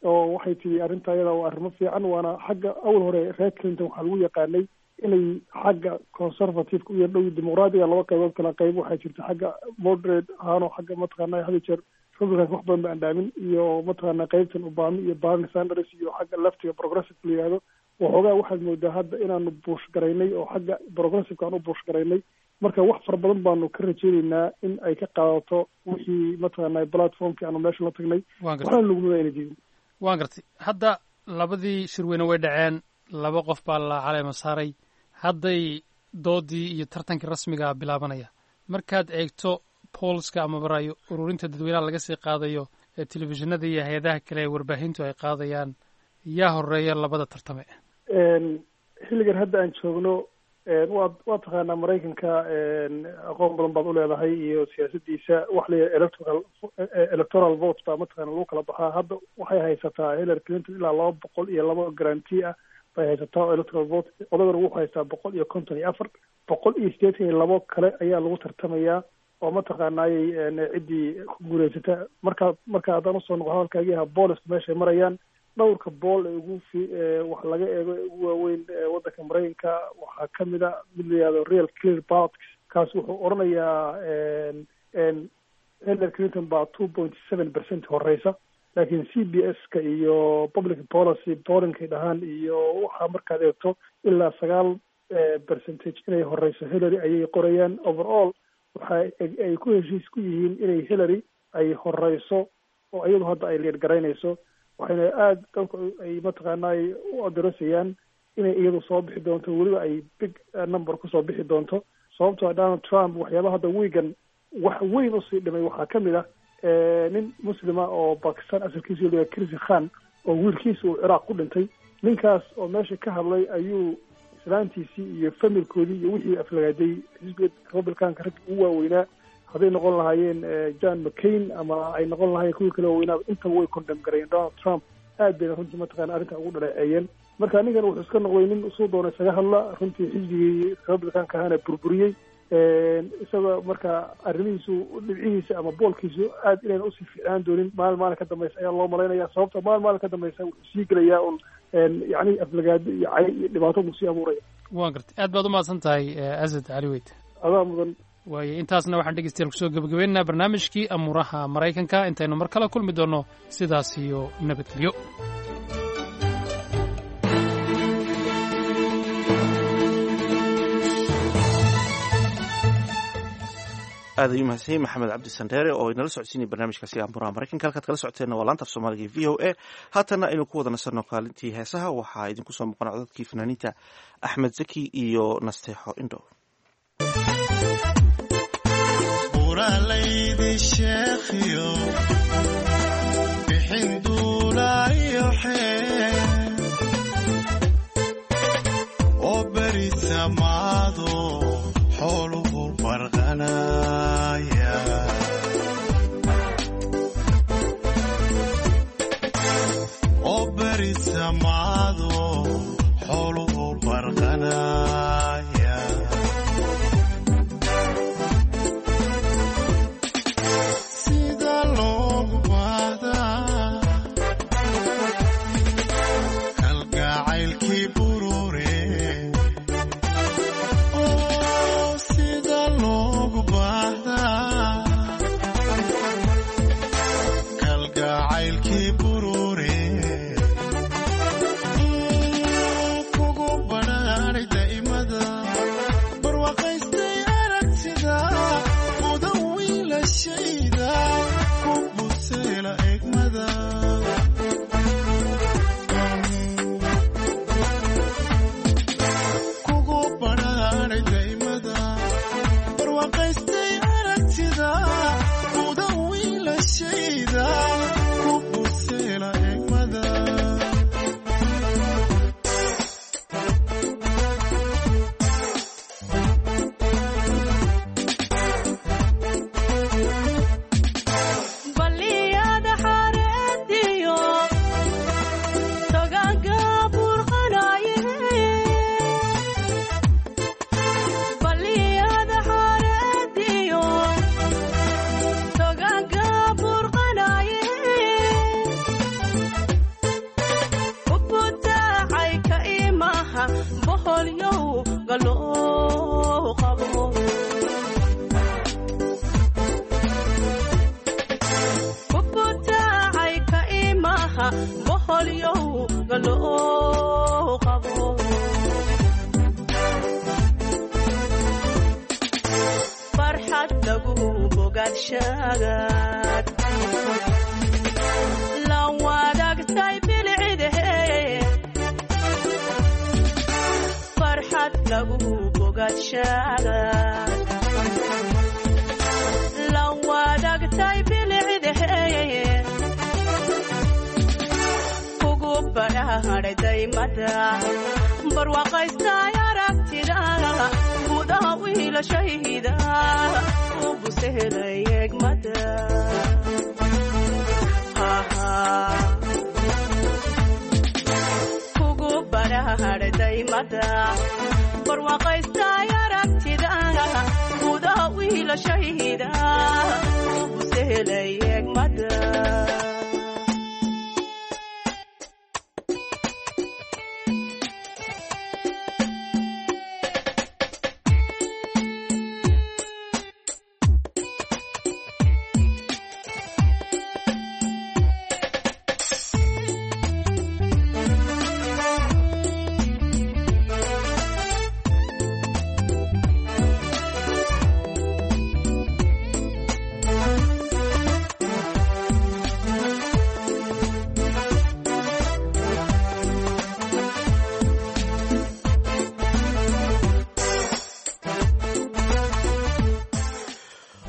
oo waxay tihi arrinta ayada waa arrimo fiican. Waana xagga awal hore reer Clinton waxaa lagu yaqaanay inay xagga conservative u yar dhow dimuqraadiga. Laba qaybood kala qayb waxaa jirta, xagga moderate ahaan oo xagga mataqaana had iyo jeer Republican wax badan ba andhaamin, iyo mataqaana qaybtan Obama iyo Bernie Sanders iyo xagga leftiga progressive la yihahdo. Waxoogaa waxaad moodaa hadda inaanu push garaynay oo xagga progressiveka aan u push garaynay. Marka wax fara badan baanu ka rajeyneynaa in ay ka qaadato wixii mataqaana platformkii aanu meesha la tagnay. Waxaana laguma ayna diidin. Waan gartay. Hadda labadii shirweyne way dhaceen, laba qof baa la caleema saaray, hadday doodii iyo tartankii rasmiga bilaabanaya. Markaad eegto pollska ama ra'yi ururinta dadweynaha laga sii qaadayo ee telefishinada iyo hay-adaha kale ee warbaahintu ay qaadayaan, yaa horeeya labada tartame? Xilligan hadda aan joogno, waa taqaanaa Maraykanka, aqoon badan baad uleedahay iyo siyaasadiisa. Wax la yidhaha electoral vote baa mataqaana lagu kala baxaa. Hadda waxay haysataa Hillary Clinton ilaa 202 guarantee ah bay haysataa oo electoral vote. Odagana wuxuu haystaa 154, 182 kale ayaa lagu tartamayaa oo mataqaanaayey ciddii ku guuleysata. Marka haddaan usoo noqo hadalkaagii ahaa pollska meeshay marayaan, dhowrka poll ee ugu fi wax laga eego ee ugu waaweyn waddanka Maraykanka waxaa kamid a mid la yihahdo Real Clear Politics. Kaas wuxuu odhanayaa Hillary Clinton baa 2.7% horeysa, laakiin CBS-ka iyo public policy pollingkay dhahaan iyo waxaa markaad eegto ilaa 9 percentage inay horeyso Hillary ayay qorayaan. Overall waxa ay ku heshiis ku yihiin inay Hillary ay horeyso oo iyadu hadda ay lead garaynayso, waxayna aada dadku ay mataqaanay u adarasayaan inay iyadu soo bixi doonto, weliba ay big number kusoo bixi doonto, sababtoo ah Donald Trump waxyaabaha hadda wiigan wax weyn usii dhimay waxaa ka mid ah nin muslima oo Bakistan asalkiisu la Kirsi Khan oo wiilkiisa uu Ciraaq ku dhintay. Ninkaas oo meesha ka hadlay ayuu islaantiisii iyo familkoodii iyo wixii aflagaaday xisbiga Republicanka raggi ugu waaweynaa, hadday noqon lahaayeen John McCain ama ay noqon lahaayeen kuwii kale waaweynaaba, intaba way condemn gareeyeen Donald Trump, aad bayna runtii mataqana arrinta ugu dhaleeceeyeen. Marka ninkan wuxuu iska noqday nin usuu doona isaga hadla, runtii xisbigii Republicanka ahaana burburiyey isaga. Marka arrimihiisu dhibcihiisa ama pollkiisu aad inayna usii fiicnaan doonin maalin maalin ka dambaysa ayaa loo malaynaya, sababta maalin maalin ka dambaysa wuxuu sii gelayaa un yacni aflagaado iyo cay iyo dhibaato buu sii abuuraya. Waan gartay. Aad baad umahadsan tahay, Asad Cali Weyd. Adaa mudan. Waayo, intaasna waxaan dhegeystayaal kusoo gebagabaynaynaa barnaamijkii amuuraha Maraykanka. Intaynu mar kale kulmi doonno, sidaas iyo nabadgelyo. Aad ayuu mahadsan yahay Maxamed Cabdi Sandheere oo inala socodsiinaya barnaamijkaasi Amuraha Maraykanka. Halkaad kala socoteenna waa laanta af Soomaaliga ee VOA. Haatanna aynu ku wada nasanno kaalintii heesaha. Waxaa idinku soo muuqan codadkii fanaaniinta Axmed Zaki iyo Nasteexo Indho. Buralaydi sheekhiyo bixin duulayo xee oo beri samaado xooluhu barqanaya, oo beri samaado xooluhu barqanaya. Sida loogu baahdaa kalgacaylkii burure, oo sida loogu baahdaa kalgacaylkii burure, kugu badhaadhay daa'imada barwaaqaystay aragtida mudan wiilashayda ku buseela egmada. Kugu badhaadhay daa'imada barwaaqaystay aragtida mudan wiilashayda ku buseela egmada. Baliyada xareediyo togaanka burqanaye, baliyada xareediyo togaanka burqanaye, ubutaacay ka imaha boholyow galoo qabo. Kubutaacay ka imaha boholyow galoo qabo. Farxad lagu bogaadshagaad la wadaagtay bilcidehe, farxad lagu bogaadshagaad la wadaagtay bilcidehe, kugu badhaadhay daymada barwaaqaystay aragtida gudaha wiilashayda u busehelay egmada. Kugu badhaadhay daymada barwaaqaystay aragtida gudaha wiilashayda u busehelay egmada.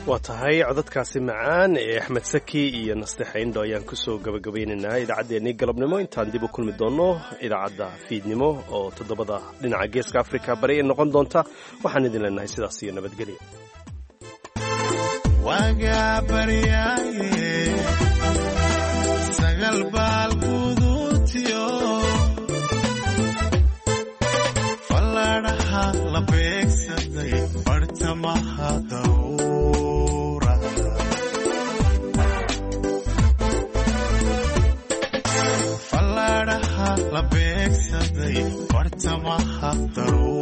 Waa tahay, codadkaasi macaan ee Axmed Saki iyo Nasteexa Indho ayaan kusoo gabagabaynaynaa idaacaddeenii galabnimo. Intaan dib u kulmi doonno idaacadda fiidnimo oo 7da dhinaca Geeska Afrika bari ay noqon doonta, waxaan idin leenahay sidaas iyo nabadgelya. Wagaa baryaaye sagal baal guduutiyo falladhaha la beegsaday bartamaha dawra, falladhaha la beegsaday bartamaha daruura.